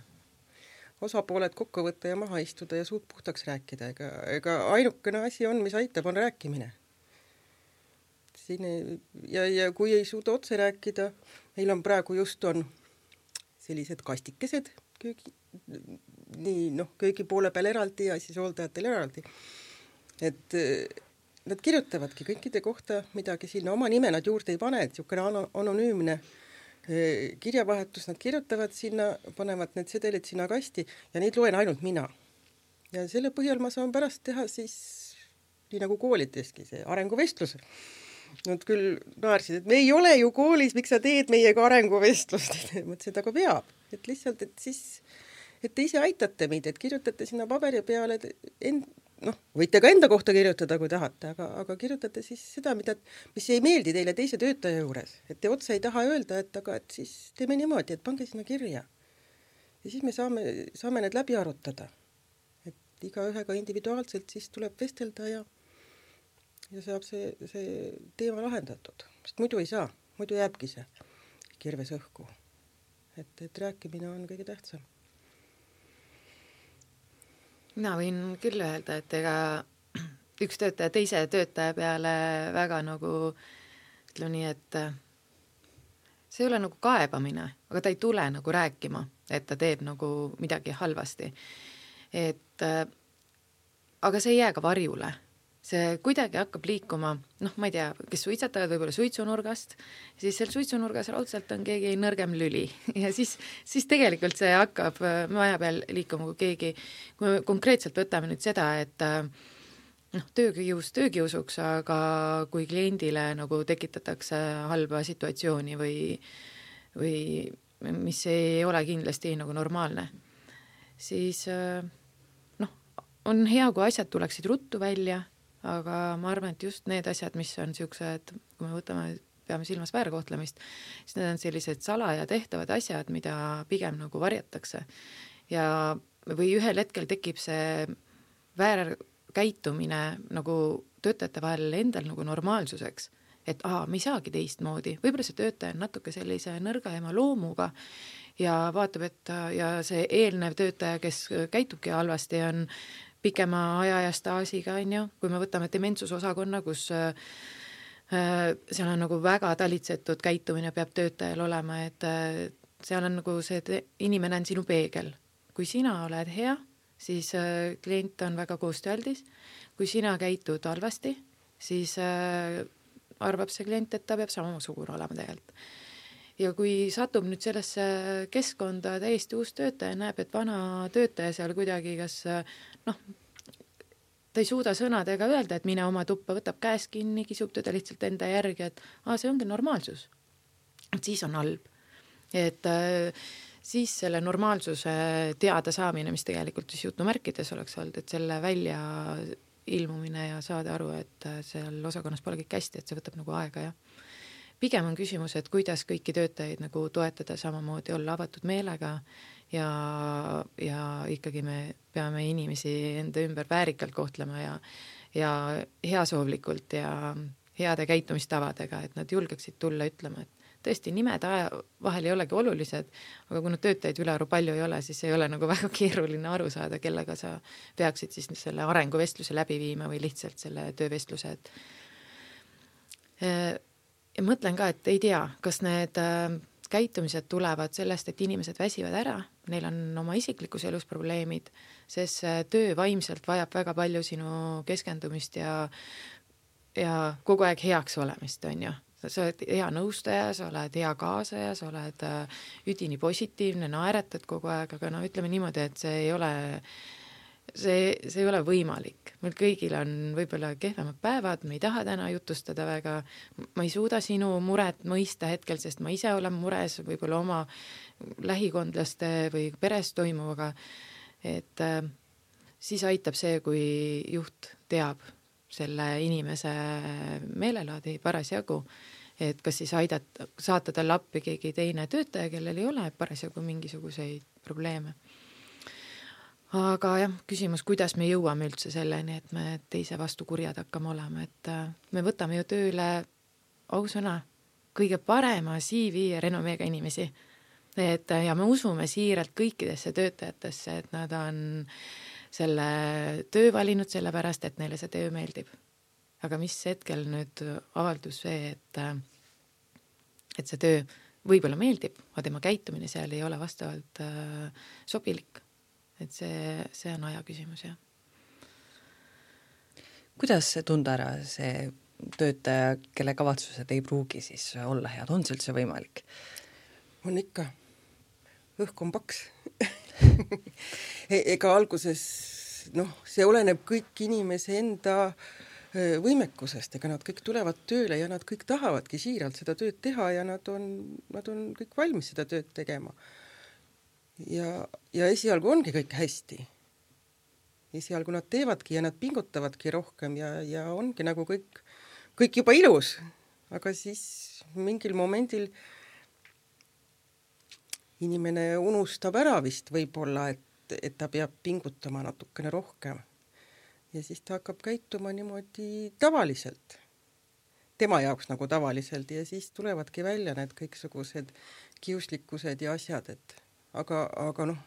Osapooled kokku võtta ja maha istuda ja suud puhtaks rääkida. Ega, ega ainukene asi on, mis aitab, on rääkimine. Siin ei, ja, ja kui ei suuda otse rääkida, meil on praegu just on sellised kastikesed köögi, nii noh, köögi poole peal eraldi ja siis hooldajatel eraldi. Et nad kirjutavadki kõikide kohta midagi sinna, oma nime nad juurde ei pane, et niisugune anonüümne kirjavahetus, nad kirjutavad sinna, panevad need sedelid sinna kasti ja neid loen ainult mina. Ja selle põhjal ma saan pärast teha siis, nii nagu koolideski, see arenguvestlus. Nad küll naarsid, et me ei ole ju koolis, miks sa teed meiega arenguvestlust? Mõtlesin, et aga veab, et lihtsalt, et siis, et te ise aitate meid, et kirjutate sinna paberi peale, end, noh, võite ka enda kohta kirjutada, kui tahate, aga, aga kirjutate siis seda, mida, mis ei meeldi teile teise töötaja juures. Et te otse ei taha öelda, et aga et siis teeme niimoodi, et pange sinna kirja. Ja siis me saame, saame need läbi arutada. Et iga ühega individuaalselt siis tuleb vestelda ja, ja saab see, see teema lahendatud. Sest muidu ei saa, muidu jääbki see kirves õhku. Et, et rääkimine on kõige tähtsam. Mina võin küll öelda, et ega üks töötaja teise töötaja peale väga nagu, ütleme nii, et see ei ole nagu kaebamine, aga ta ei tule nagu rääkima, et ta teeb nagu midagi halvasti. Et, aga see ei jää ka varjule. see kuidagi hakkab liikuma, noh, ma ei tea, kes suitsetavad võib-olla suitsunurgast, siis seal suitsunurgas raudselt on keegi nõrgem lüli ja siis, siis tegelikult see hakkab maja peal liikuma, kui keegi, kui me konkreetselt võtame nüüd seda, et noh, töökius töökiusuks, aga kui kliendile nagu tekitatakse halba situatsiooni või, või mis ei ole kindlasti nagu normaalne, siis noh, on hea, kui asjad tuleksid ruttu välja, aga ma arvan, et just need asjad, mis on niisugused, kui me võtame, peame silmas väärkohtlemist, siis need on sellised salaja tehtavad asjad, mida pigem nagu varjatakse. Ja või ühel hetkel tekib see väärkäitumine nagu töötajate vahel endal nagu normaalsuseks, et aha, me ei saagi teistmoodi. Võib-olla see töötaja on natuke sellise nõrgaema loomuga ja vaatab, et ja see eelnev töötaja, kes käitubki halvasti, on pikema aja ja staasiga, on ju, kui me võtame dementsusosakonna, kus äh, seal on nagu väga talitsetud käitumine peab töötajal olema, et äh, seal on nagu see, et inimene on sinu peegel. Kui sina oled hea, siis äh, klient on väga koostööaldis. Kui sina käitud halvasti, siis äh, arvab see klient, et ta peab samasugune olema tegelikult. Ja kui satub nüüd sellesse keskkonda täiesti uus töötaja, näeb, et vana töötaja seal kuidagi, kas noh, ta ei suuda sõnadega öelda, et mine oma tuppa, võtab käes kinni, kisub teda lihtsalt enda järgi, et ah, see ongi normaalsus. Et siis on halb. Et äh, siis selle normaalsuse teada saamine, mis tegelikult siis jutumärkides oleks olnud, et selle välja ilmumine ja saada aru, et seal osakonnas pole kõik hästi, et see võtab nagu aega ja pigem on küsimus, et kuidas kõiki töötajaid nagu toetada samamoodi, olla avatud meelega ja, ja ikkagi me peame inimesi enda ümber väärikalt kohtlema ja, ja heasoovlikult ja heade käitumistavadega, et nad julgeksid tulla ütlema, et tõesti nimed vahel ei olegi olulised, aga kui nad töötajaid ülearu palju ei ole, siis ei ole nagu väga keeruline aru saada, kellega sa peaksid siis selle arenguvestluse läbi viima või lihtsalt selle töövestluse, et ja mõtlen ka, et ei tea, kas need äh, käitumised tulevad sellest, et inimesed väsivad ära, neil on oma isiklikus elus probleemid, sest töö vaimselt vajab väga palju sinu keskendumist ja, ja kogu aeg heaks olemist, on ju. Sa oled hea nõustaja, sa oled hea kaasaja, sa oled äh, üdini positiivne, naeretad kogu aeg, aga no ütleme niimoodi, et see ei ole See, see ei ole võimalik. Meil kõigil on võib-olla kehvemad päevad, me ei taha täna jutustada väga, ma ei suuda sinu muret mõista hetkel, sest ma ise olen mures võib-olla oma lähikondlaste või peres toimuvaga, et äh, siis aitab see, kui juht teab selle inimese meelelaadi parasjagu, et kas siis aidat, saata talle appi keegi teine töötaja, kellel ei ole parasjagu mingisuguseid probleeme. Aga jah, küsimus, kuidas me jõuame üldse selleni, et me teise vastu kurjad hakkame olema, et me võtame ju tööle ausõna kõige parema C V ja renomeega inimesi. Et, ja me usume siiralt kõikidesse töötajatesse, et nad on selle töö valinud selle pärast, et neile see töö meeldib. Aga mis hetkel nüüd avaldus see, et, et see töö võib-olla meeldib, aga tema käitumine seal ei ole vastavalt äh, sobilik. Et see, see on aja küsimus, jah. Kuidas tunda ära see töötaja, kelle kavatsused ei pruugi siis olla head? On see üldse võimalik? On ikka. Õhk on paks. Ega alguses, noh, see oleneb kõik inimese enda võimekusest, ega nad kõik tulevad tööle ja nad kõik tahavadki siiralt seda tööd teha ja nad on, nad on kõik valmis seda tööd tegema. Ja, ja esialgu ongi kõik hästi. Esialgu nad teevadki ja nad pingutavadki rohkem ja, ja ongi nagu kõik, kõik juba ilus. Aga siis mingil momendil inimene unustab ära vist võib-olla, et, et ta peab pingutama natukene rohkem. Ja siis ta hakkab käituma niimoodi tavaliselt. Tema jaoks nagu tavaliselt ja siis tulevadki välja need kõiksugused kiuslikkused ja asjad, et aga, aga noh,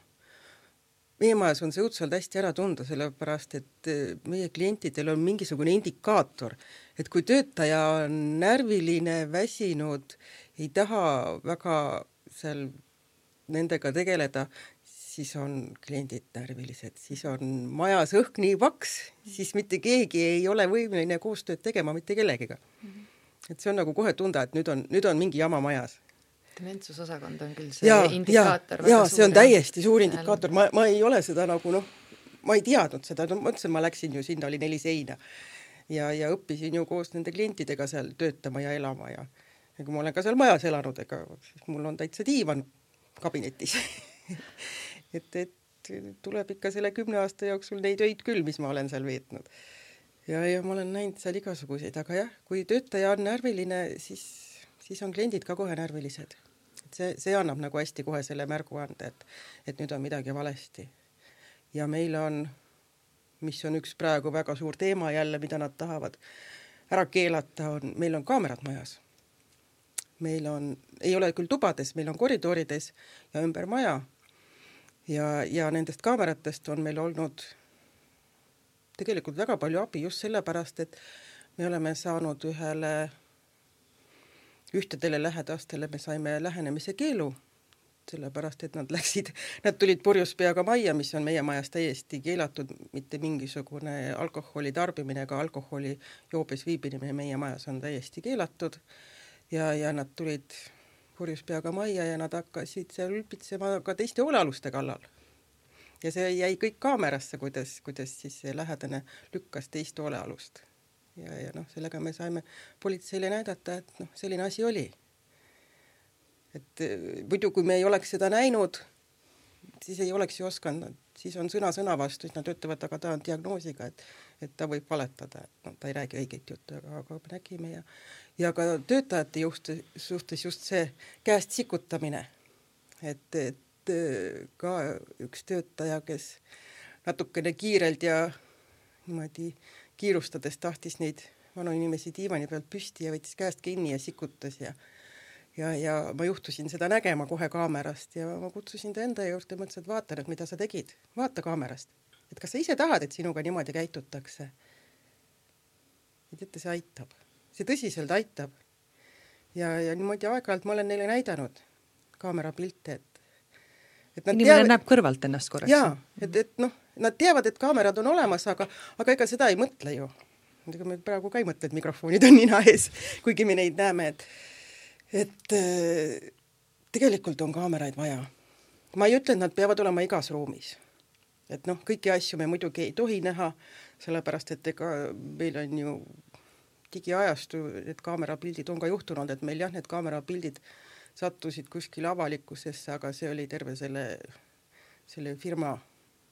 meie majas on see õudselt hästi ära tunda, sellepärast, et meie klientidel on mingisugune indikaator, et kui töötaja on närviline, väsinud, ei taha väga seal nendega tegeleda, siis on kliendid närvilised, siis on majas õhk nii paks, siis mitte keegi ei ole võimeline koostööd tegema mitte kellegiga. Mm-hmm. Et see on nagu kohe tunda, et nüüd on, nüüd on mingi jama majas. Dementsusosakond on küll see ja, indikaator. Ja, ja see on täiesti suur indikaator. Ma, ma ei ole seda nagu, noh, ma ei teadnud seda. No, mõtlesin, ma läksin ju sinna, oli neli seina. Ja, ja õppisin ju koos nende klientidega seal töötama ja elama. Ja, ja kui ma olen ka seal majas elanud, ega siis mul on täitsa diivan kabinetis. et, et tuleb ikka selle kümne aasta jooksul neid öid küll, mis ma olen seal veetnud. Ja, ja ma olen näinud seal igasuguseid, aga jah, kui töötaja on närviline, siis, siis on kliendid ka kohe närvilised. Et see, see annab nagu hästi kohe selle märgu anda, et, et nüüd on midagi valesti. Ja meil on, mis on üks praegu väga suur teema jälle, mida nad tahavad ära keelata, on, meil on kaamerad majas. Meil on, ei ole küll tubades, meil on koridorides ja ümber maja. Ja, ja nendest kaameratest on meil olnud tegelikult väga palju abi just sellepärast, et me oleme saanud ühele, ühtedele lähedastele, me saime lähenemise keelu, sellepärast, et nad läksid, nad tulid purjus peaga majja, mis on meie majas täiesti keelatud, mitte mingisugune alkoholi tarbimine, ega alkoholi joobes viibimine meie majas on täiesti keelatud ja, ja nad tulid purjus peaga majja ja nad hakkasid seal ülpitsema ka teiste hoolealuste kallal. Ja see jäi kõik kaamerasse, kuidas, kuidas siis see lähedane lükkas teist hoolealust. Ja, ja noh, sellega me saime politseile näidata, et noh, selline asi oli. Et muidu, kui me ei oleks seda näinud, siis ei oleks ju osanud, siis on sõna sõna vastu, siis nad ütlevad, aga ta on diagnoosiga, et, et ta võib valetada, et no, ta ei räägi õiget juttu, aga, aga me nägime ja, ja ka töötajate just, suhtes just see käest sikutamine, et, et ka üks töötaja, kes natukene kiirelt ja niimoodi kiirustades tahtis neid vanu inimesi diivani pealt püsti ja võttis käest kinni ja sikutas ja, ja, ja ma juhtusin seda nägema kohe kaamerast ja ma kutsusin ta enda juurde ja mõtlesin, et vaata nüüd, mida sa tegid. Vaata kaamerast. Et kas sa ise tahad, et sinuga niimoodi käitutakse? Ja teate, see aitab. See tõsiselt aitab. Ja, ja niimoodi aeg-ajalt ma olen neile näidanud kaamerapilte, et Et inimene teavad, näeb kõrvalt ennast korraks. Jaa, et, et noh, nad teavad, et kaamerad on olemas, aga, aga ega seda ei mõtle ju. Me praegu ka ei mõtle, et mikrofonid on nina ees, kuigi me neid näeme, et, et tegelikult on kaameraid vaja. Ma ei ütle, et nad peavad olema igas ruumis. Et noh, kõiki asju me muidugi ei tohi näha, sellepärast, et ega meil on ju digiajastu, et kaamerapildid on ka juhtunud, et meil jah, need kaamerapildid sattusid kuskil avalikkusesse, aga see oli terve selle, selle firma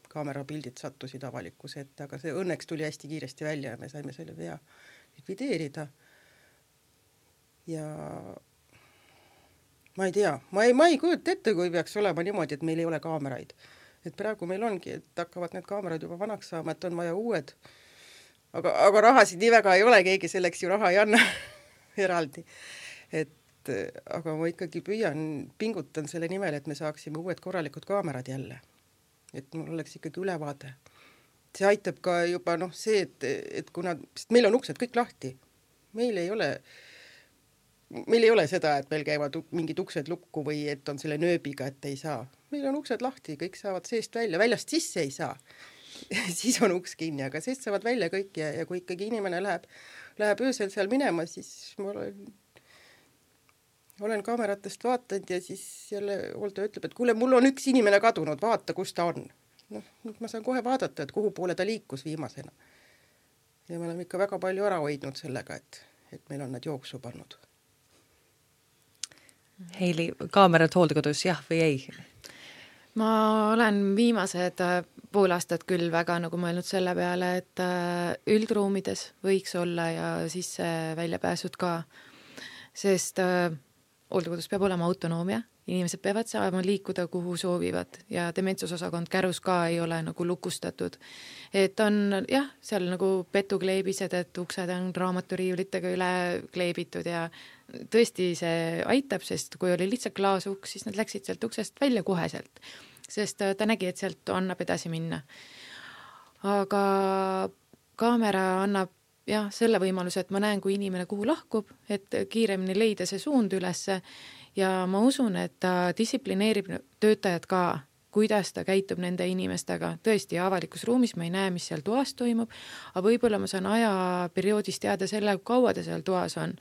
kaamerapildid sattusid avalikkuse ette, aga see õnneks tuli hästi kiiresti välja ja me saime selle vea likvideerida. Ja ma ei tea, ma ei, ma ei kujuta ette, kui peaks olema niimoodi, et meil ei ole kaameraid. Et praegu meil ongi, et hakkavad need kaamerad juba vanaks saama, et on vaja uued. Aga, aga rahasid nii väga ei ole, keegi selleks ju raha ei anna eraldi. Et aga ma ikkagi püüan, pingutan selle nimel, et me saaksime uued korralikud kaamerad jälle. Et mul oleks ikkagi ülevaade. See aitab ka juba noh see, et, et kuna, sest meil on uksed kõik lahti. Meil ei ole, meil ei ole seda, et meil käivad mingid uksed lukku või et on selle nööbiga, et ei saa. Meil on uksed lahti, kõik saavad seest välja, väljast sisse ei saa. Siis on uks kinni, aga seest saavad välja kõik ja, ja kui ikkagi inimene läheb, läheb öösel seal minema, siis ma olen olen kaameratest vaatanud ja siis jälle hooldaja ütleb, et kuule, mul on üks inimene kadunud, vaata, kus ta on. Noh, ma saan kohe vaadata, et kuhu poole ta liikus viimasena. Ja me oleme ikka väga palju ära hoidnud sellega, et, et meil on nad jooksu pannud. Heili, kaamerad hooldekodus, jah või ei? Ma olen viimased pool aastat küll väga nagu mõelnud selle peale, et üldruumides võiks olla ja sisse väljapääsud ka, sest hooldekodus peab olema autonoomia, inimesed peavad saama liikuda, kuhu soovivad ja dementsusosakond Kärus ka ei ole nagu lukustatud. Et on jah, seal nagu petukleebised, et uksed on raamaturiiulitega üle kleebitud ja tõesti see aitab, sest kui oli lihtsalt klaasuks, siis nad läksid sealt uksest välja koheselt, sest ta nägi, et sealt annab edasi minna. Aga kaamera annab jah, selle võimaluse, et ma näen, kui inimene kuhu lahkub, et kiiremini leida see suund ülesse ja ma usun, et ta distsiplineerib töötajad ka, kuidas ta käitub nende inimestega, tõesti avalikus ruumis ma ei näe, mis seal toas toimub, aga võib-olla ma saan ajaperioodis teada selle, kaua ta seal toas on.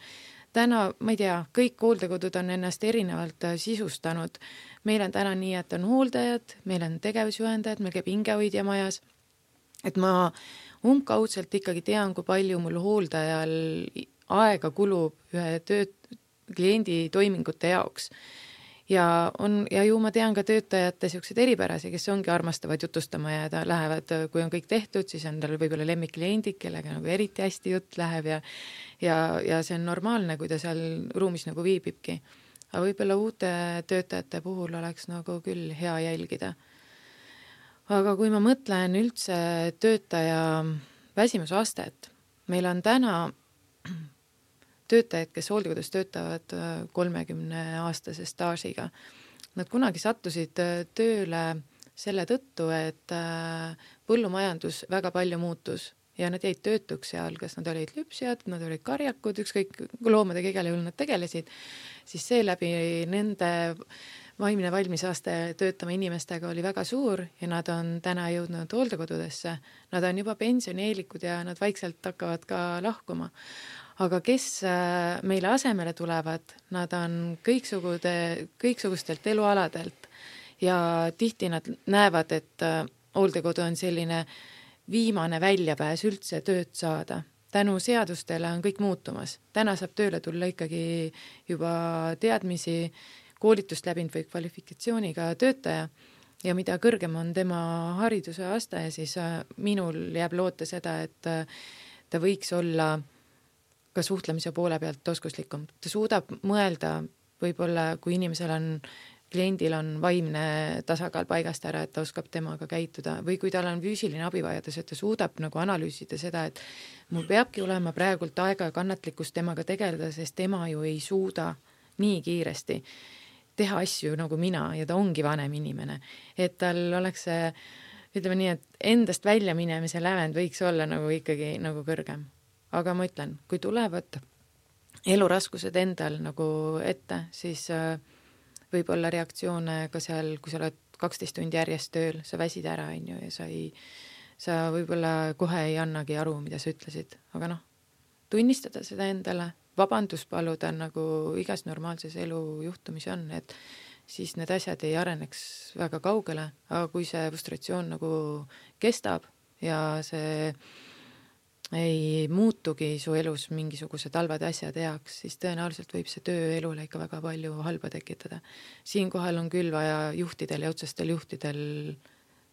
Täna, ma ei tea, kõik hooldekodud on ennast erinevalt sisustanud. Meil on täna nii, et on hooldajad, meil on tegevusjuhendajad, meil käib hingehoidja majas, et ma umbkaudselt ikkagi tean, kui palju mul hooldajal aega kulub ühe tööd, kliendi toimingute jaoks. Ja, on, ja ju ma tean ka töötajate siuksed eripärasi, kes ongi armastavad jutustama ja ta lähevad, kui on kõik tehtud, siis on tal võib-olla lemmikkliendid, kellega nagu eriti hästi jutt läheb ja, ja, ja see on normaalne, kui ta seal ruumis nagu viibibki. Aga võib-olla uute töötajate puhul oleks nagu küll hea jälgida. Aga kui ma mõtlen üldse töötaja väsimusastet, meil on täna töötajad, kes hooldekodus töötavad kolmekümne aastase staažiga. Nad kunagi sattusid tööle selle tõttu, et põllumajandus väga palju muutus ja nad jäid töötuks seal, kas nad olid lüpsjad, nad olid karjakud, ükskõik loomadega igale juhul nad tegelesid, siis seeläbi nende vaimne valmisaste töötama inimestega oli väga suur ja nad on täna jõudnud hooldekodudesse. Nad on juba pensionieelikud ja nad vaikselt hakkavad ka lahkuma. Aga kes meile asemele tulevad, nad on kõiksugude, kõiksugustelt elualadelt ja tihti nad näevad, et hooldekodu on selline viimane väljapääs üldse tööd saada. Tänu seadustele on kõik muutumas. Täna saab tööle tulla ikkagi juba teadmisi, koolitust läbinud või kvalifikatsiooniga töötaja ja mida kõrgem on tema hariduse aste, siis minul jääb loota seda, et ta võiks olla ka suhtlemise poole pealt oskuslikum. Ta suudab mõelda võib-olla, kui inimesel on, kliendil on vaimne tasakaal paigast ära, et ta oskab temaga käituda või kui tal on füüsiline abivajadus, et ta suudab nagu analüüsida seda, et mul peabki olema praegult aega ja kannatlikkust temaga tegeleda, sest tema ju ei suuda nii kiiresti teha asju nagu mina ja ta ongi vanem inimene. Et tal oleks see, ütleme nii, et endast välja minemise lävend võiks olla nagu ikkagi nagu kõrgem. Aga ma ütlen, kui tulevad eluraskused endal nagu ette, siis võib olla reaktsioone ka seal, kui sa oled kaksteist tundi järjest tööl, sa väsid ära on ju, ja sa, ei, sa võib-olla kohe ei annagi aru, mida sa ütlesid. Aga noh, tunnistada seda endale, vabandus paluda nagu igas normaalses elu juhtumis on, et siis need asjad ei areneks väga kaugele, aga kui see frustratsioon nagu kestab ja see ei muutugi su elus mingisugused halvad asjad heaks, siis tõenäoliselt võib see tööelule ikka väga palju halba tekitada. Siinkohal on küll vaja juhtidel ja otsestel juhtidel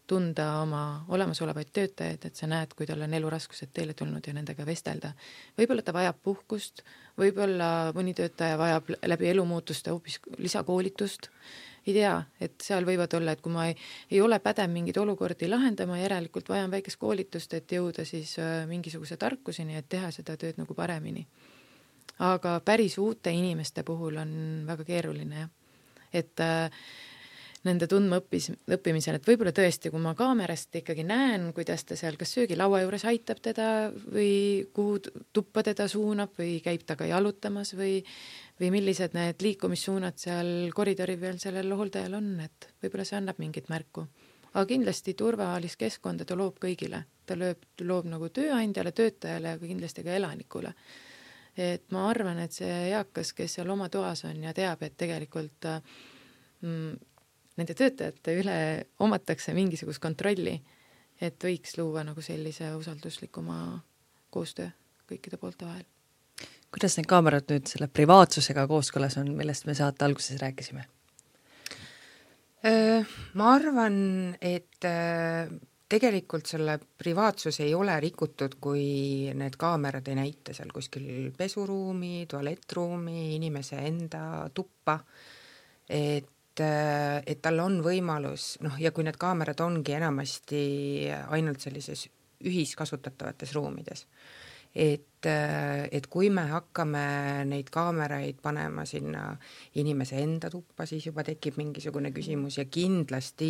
tunda oma olemasolevaid töötajaid, et sa näed, kui tal on eluraskused teile tulnud ja nendega vestelda. Võib-olla ta vajab puhkust, võib-olla mõni töötaja vajab läbi elumuutuste hoopis lisakoolitust. Ei tea, et seal võivad olla, et kui ma ei, ei ole pädev mingid olukordi lahendama, järelikult vajan väikest koolitust, et jõuda siis mingisuguse tarkuseni, et teha seda tööd nagu paremini. Aga päris uute inimeste puhul on väga keeruline, jah. Et äh, nende tundma õppis, õppimisel, et võib-olla tõesti, kui ma kaamerast ikkagi näen, kuidas ta seal kas söögilaua juures aitab teda või kuhu tuppa teda suunab või käib taga jalutamas või või millised need liikumissuunad seal koridori peal sellel hooldajal on, et võib-olla see annab mingit märku. Aga kindlasti turvalist keskkonda ta loob kõigile. Ta loob, loob nagu tööandjale, töötajale ja kindlasti ka elanikule. Et ma arvan, et see eakas, kes seal oma toas on ja teab, et tegelikult mm, nende töötajate üle omatakse mingisugust kontrolli, et võiks luua nagu sellise usalduslikuma koostöö kõikide poolte vahel. Kuidas need kaamerad nüüd selle privaatsusega kooskõlas on, millest me saate alguses rääkisime? Ma arvan, et tegelikult selle privaatsus ei ole rikutud, kui need kaamerad ei näita seal kuskil pesuruumi, tualettruumi, inimese enda tuppa, et, et tal on võimalus, noh, ja kui need kaamerad ongi enamasti ainult sellises ühiskasutatavates ruumides, et et kui me hakkame neid kaameraid panema sinna inimese enda tuppa, siis juba tekib mingisugune küsimus ja kindlasti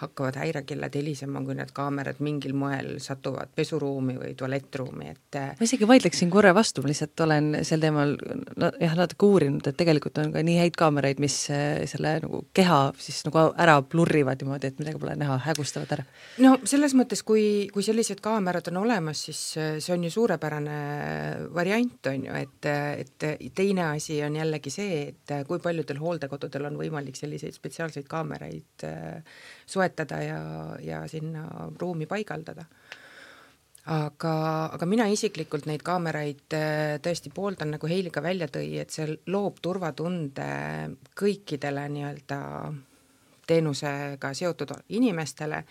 hakkavad häirekellad helisema, kui need kaamerad mingil moel satuvad pesuruumi või tualettruumi, et ma isegi vaidleksin korra vastu, ma lihtsalt olen sel teemal jah, natuke uurinud, et tegelikult on ka nii häid kaameraid, mis selle nagu keha siis nagu ära plurrivad niimoodi, et midagi pole näha, hägustavad ära. No selles mõttes, kui, kui sellised kaamerad on olemas, siis see on ju suurepärane variant, on ju, et, et teine asi on jällegi see, et kui paljudel hooldekodudel on võimalik selliseid spetsiaalseid kaameraid soetada ja, ja sinna ruumi paigaldada. Aga, aga mina isiklikult neid kaameraid tõesti pooldan, nagu Heili ka välja tõi, et see loob turvatunde kõikidele nii-öelda teenusega seotud inimestele.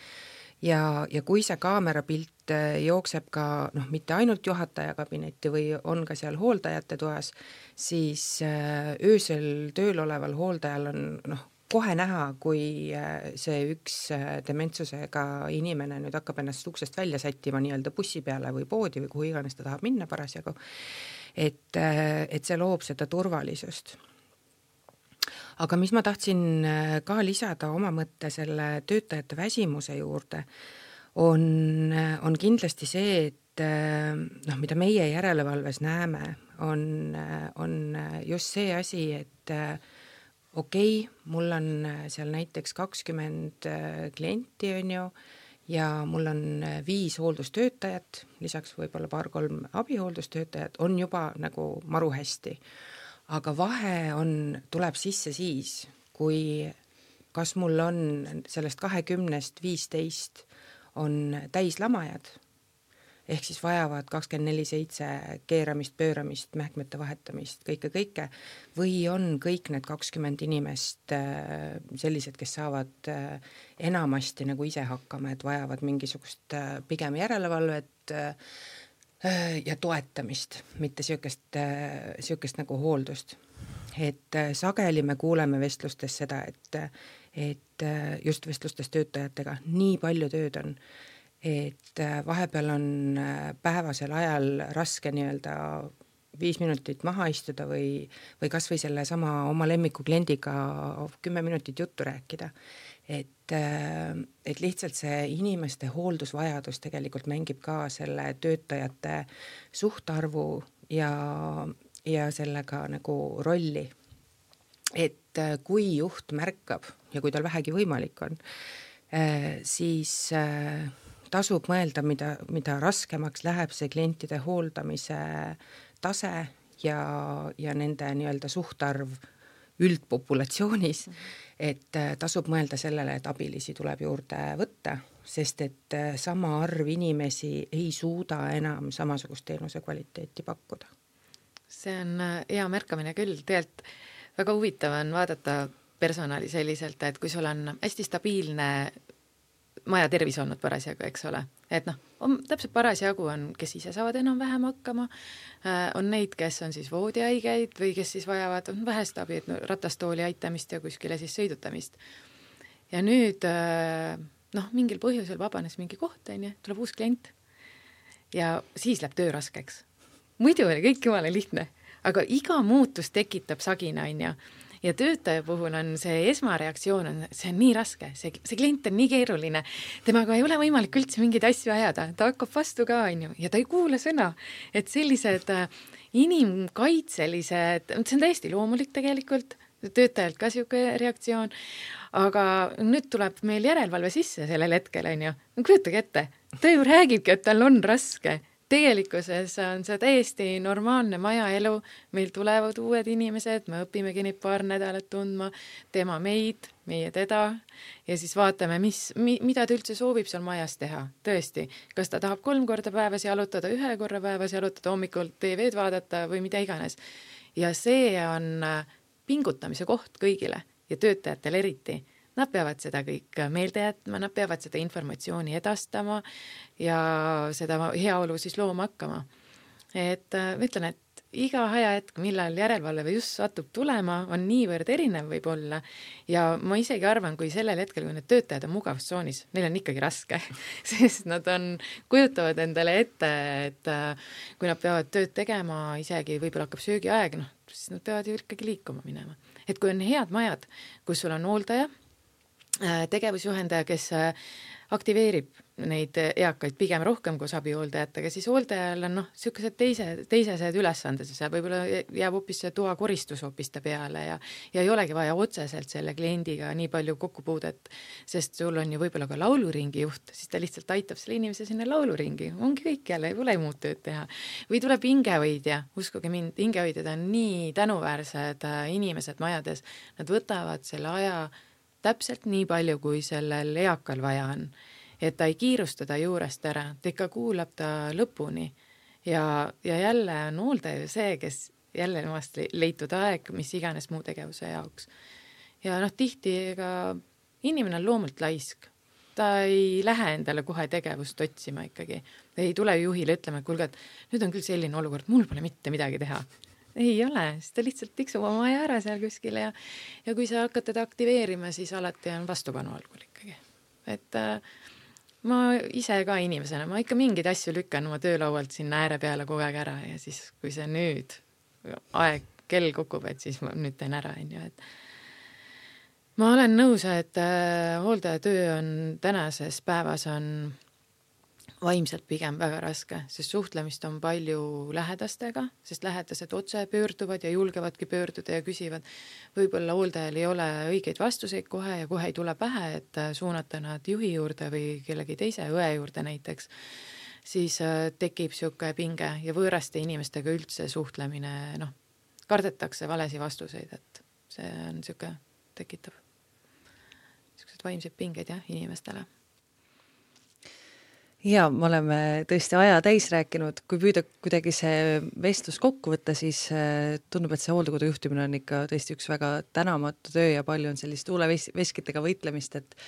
Ja, ja kui see kaamerapilt jookseb ka noh, mitte ainult juhataja kabinetti või on ka seal hooldajate toas, siis öösel tööl oleval hooldajal on noh, kohe näha, kui see üks dementsusega inimene nüüd hakkab ennast uksest välja sättima nii-öelda bussi peale või poodi või kuhu iganes ta tahab minna parasjagu, et, et see loob seda turvalisust. Aga mis ma tahtsin ka lisada oma mõtte selle töötajate väsimuse juurde, on, on kindlasti see, et noh, mida meie järelevalves näeme, on, on just see asi, et okei, okay, mul on seal näiteks kakskümmend klienti, on ju, ja mul on viis hooldustöötajat, lisaks võib-olla paar-kolm abihooldustöötajat, on juba nagu maru hästi. Aga vahe on, tuleb sisse siis, kui kas mul on sellest kahekümnest viisteist on täislamajad, ehk siis vajavad kakskümmend neli seitse keeramist, pööramist, mähkmete vahetamist, kõike, kõike, või on kõik need kakskümmend inimest sellised, kes saavad enamasti nagu ise hakkama, et vajavad mingisugust pigem järelevalvet ja toetamist, mitte siukest, siukest nagu hooldust. Et sageli me kuuleme vestlustes seda, et, et just vestlustes töötajatega nii palju tööd on, et vahepeal on päevasel ajal raske nii-öelda viis minutit maha istuda või, või kas või selle sama oma lemmiku kliendiga kümme minutit juttu rääkida. Et, et lihtsalt see inimeste hooldusvajadus tegelikult mängib ka selle töötajate suhtarvu ja, ja sellega nagu rolli. Et kui juht märkab ja kui tal vähegi võimalik on, siis tasub mõelda, mida, mida raskemaks läheb see klientide hooldamise tase ja, ja nende nii-öelda suhtarv üldpopulatsioonis, et tasub mõelda sellele, et abilisi tuleb juurde võtta, sest et sama arv inimesi ei suuda enam samasugust teenuse kvaliteeti pakkuda. See on hea märkamine küll, tegelikult väga huvitav on vaadata personali selliselt, et kui sul on hästi stabiilne maja tervis olnud parasjagu, eks ole, et noh, on, täpselt parasjagu on, kes ise saavad enam vähem hakkama, on neid, kes on siis voodihaigeid või kes siis vajavad on vähest abi, et no, ratastooli aitamist ja kuskile siis sõidutamist. Ja nüüd noh, mingil põhjusel vabanes mingi koht, on ju, tuleb uus klient ja siis läheb töö raskeks. Muidu oli kõik jumala lihtne, aga iga muutus tekitab sagina, on ju. Ja töötaja puhul on see esmareaktsioon, on, see on nii raske, see, see klient on nii keeruline, temaga ei ole võimalik üldse mingeid asju ajada, ta hakkab vastu ka, on ju, ja ta ei kuule sõna, et sellised inimkaitselised, see on täiesti loomulik tegelikult, töötajalt ka siuke reaktsioon, aga nüüd tuleb meil järelevalve sisse sellel hetkel, on ju, kujutage ette, ta ju räägibki, et tal on raske. Tegelikkuses on see täiesti normaalne majaelu, meil tulevad uued inimesed, me õpimegi neid paar nädalat tundma, tema meid, meie teda ja siis vaatame, mis, mi, mida ta üldse soovib seal majas teha, tõesti. Kas ta tahab kolm korda päevas jalutada, ühe korra päevas jalutada, hommikul T V-d vaadata või mida iganes. Ja see on pingutamise koht kõigile ja töötajatel eriti. Nad peavad seda kõik meelde jätma, nad peavad seda informatsiooni edastama ja seda heaolu siis looma hakkama. Et ma ütlen, et iga ajahetk, millal järelevalve või just satub tulema, on niivõrd erinev võib-olla ja ma isegi arvan, kui sellel hetkel, kui need töötajad on mugavustsoonis, neil on ikkagi raske, sest nad on, kujutavad endale ette, et kui nad peavad tööd tegema, isegi võib-olla hakkab söögiaeg, noh, siis nad peavad ju ikkagi liikuma minema. Et kui on head majad, kus sul on hooldaja, tegevusjuhendaja, kes aktiveerib neid eakaid pigem rohkem kui abihooldajatega, siis hooldajal on noh, sellised teise, teisesed ülesanded, see võib-olla jääb hoopis see toa koristus hoopis ta peale ja, ja ei olegi vaja otseselt selle kliendiga nii palju kokkupuudet, sest sul on ju võib-olla ka lauluringi juht, siis ta lihtsalt aitab selle inimese sinna lauluringi, ongi kõik jälle, ei ole muud tööd teha. Või tuleb hingehoidja, uskuge mind, hingehoidjad on nii tänuväärsed inimesed majades, nad võtavad selle aja täpselt nii palju, kui sellel eakal vaja on. Et ta ei kiirusta ta juurest ära, ta ikka kuulab ta lõpuni ja, ja jälle on hooldaja see, kes jälle nemast leitud aeg, mis iganes muu tegevuse jaoks. Ja noh, tihti ega inimene on loomult laisk. Ta ei lähe endale kohe tegevust otsima ikkagi. Ei tule juhile ütlema, et kuulge, et nüüd on küll selline olukord, mul pole mitte midagi teha. Ei ole, siis ta lihtsalt tiksub oma aja ära seal kuskile ja, ja kui sa hakkad teda aktiveerima, siis alati on vastupanu algul ikkagi. Et äh, ma ise ka inimesena, ma ikka mingeid asju lükkan oma töölaualt sinna ääre peale kogu aeg ära ja siis, kui see nüüd aeg, kell kukub, et siis ma nüüd teen ära, on ju, et ma olen nõus, et äh, hooldaja töö on tänases päevas on vaimselt pigem väga raske, sest suhtlemist on palju lähedastega, sest lähedased otse pöörduvad ja julgevadki pöörduda ja küsivad. Võib-olla hooldajal ei ole õigeid vastuseid kohe ja kohe ei tule pähe, et suunata nad juhi juurde või kellegi teise õe juurde näiteks, siis tekib siuke pinge ja võõraste inimestega üldse suhtlemine, noh, kardetakse valesi vastuseid, et see on siuke tekitav. Siuksed vaimsed pinged jah, inimestele. Ja me oleme tõesti aja täis rääkinud, kui püüda kuidagi see vestlus kokku võtta, siis tundub, et see hooldekodu juhtimine on ikka tõesti üks väga tänamatu töö ja palju on sellist tuuleveskitega võitlemist, et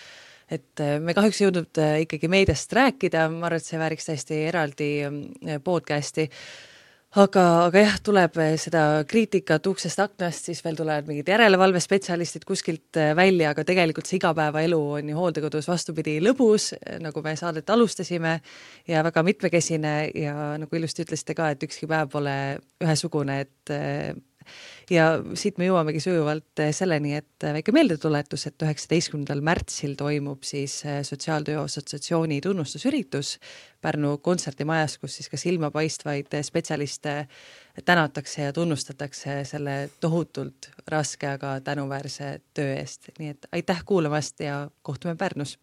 et me kahjuks jõudnud ikkagi meediast rääkida, ma arvan, et see vääriks täiesti eraldi podcasti, aga, aga jah, tuleb seda kriitikat uksest aknast, siis veel tulevad mingid järelevalvespetsialistid kuskilt välja, aga tegelikult see igapäevaelu on ju hooldekodus vastupidi lõbus, nagu me saadet alustasime ja väga mitmekesine ja nagu ilusti ütlesite ka, et ükski päev pole ühesugune, et ja siit me jõuamegi sujuvalt selleni, et väike meeldetuletus, et üheksateistkümnendal märtsil toimub siis Sotsiaaltöö Assotsiatsiooni tunnustusüritus Pärnu kontserdimajas, kus siis ka silmapaistvaid spetsialiste tänatakse ja tunnustatakse selle tohutult raske, aga tänuväärse töö eest. Nii et aitäh kuulamast ja kohtume Pärnus!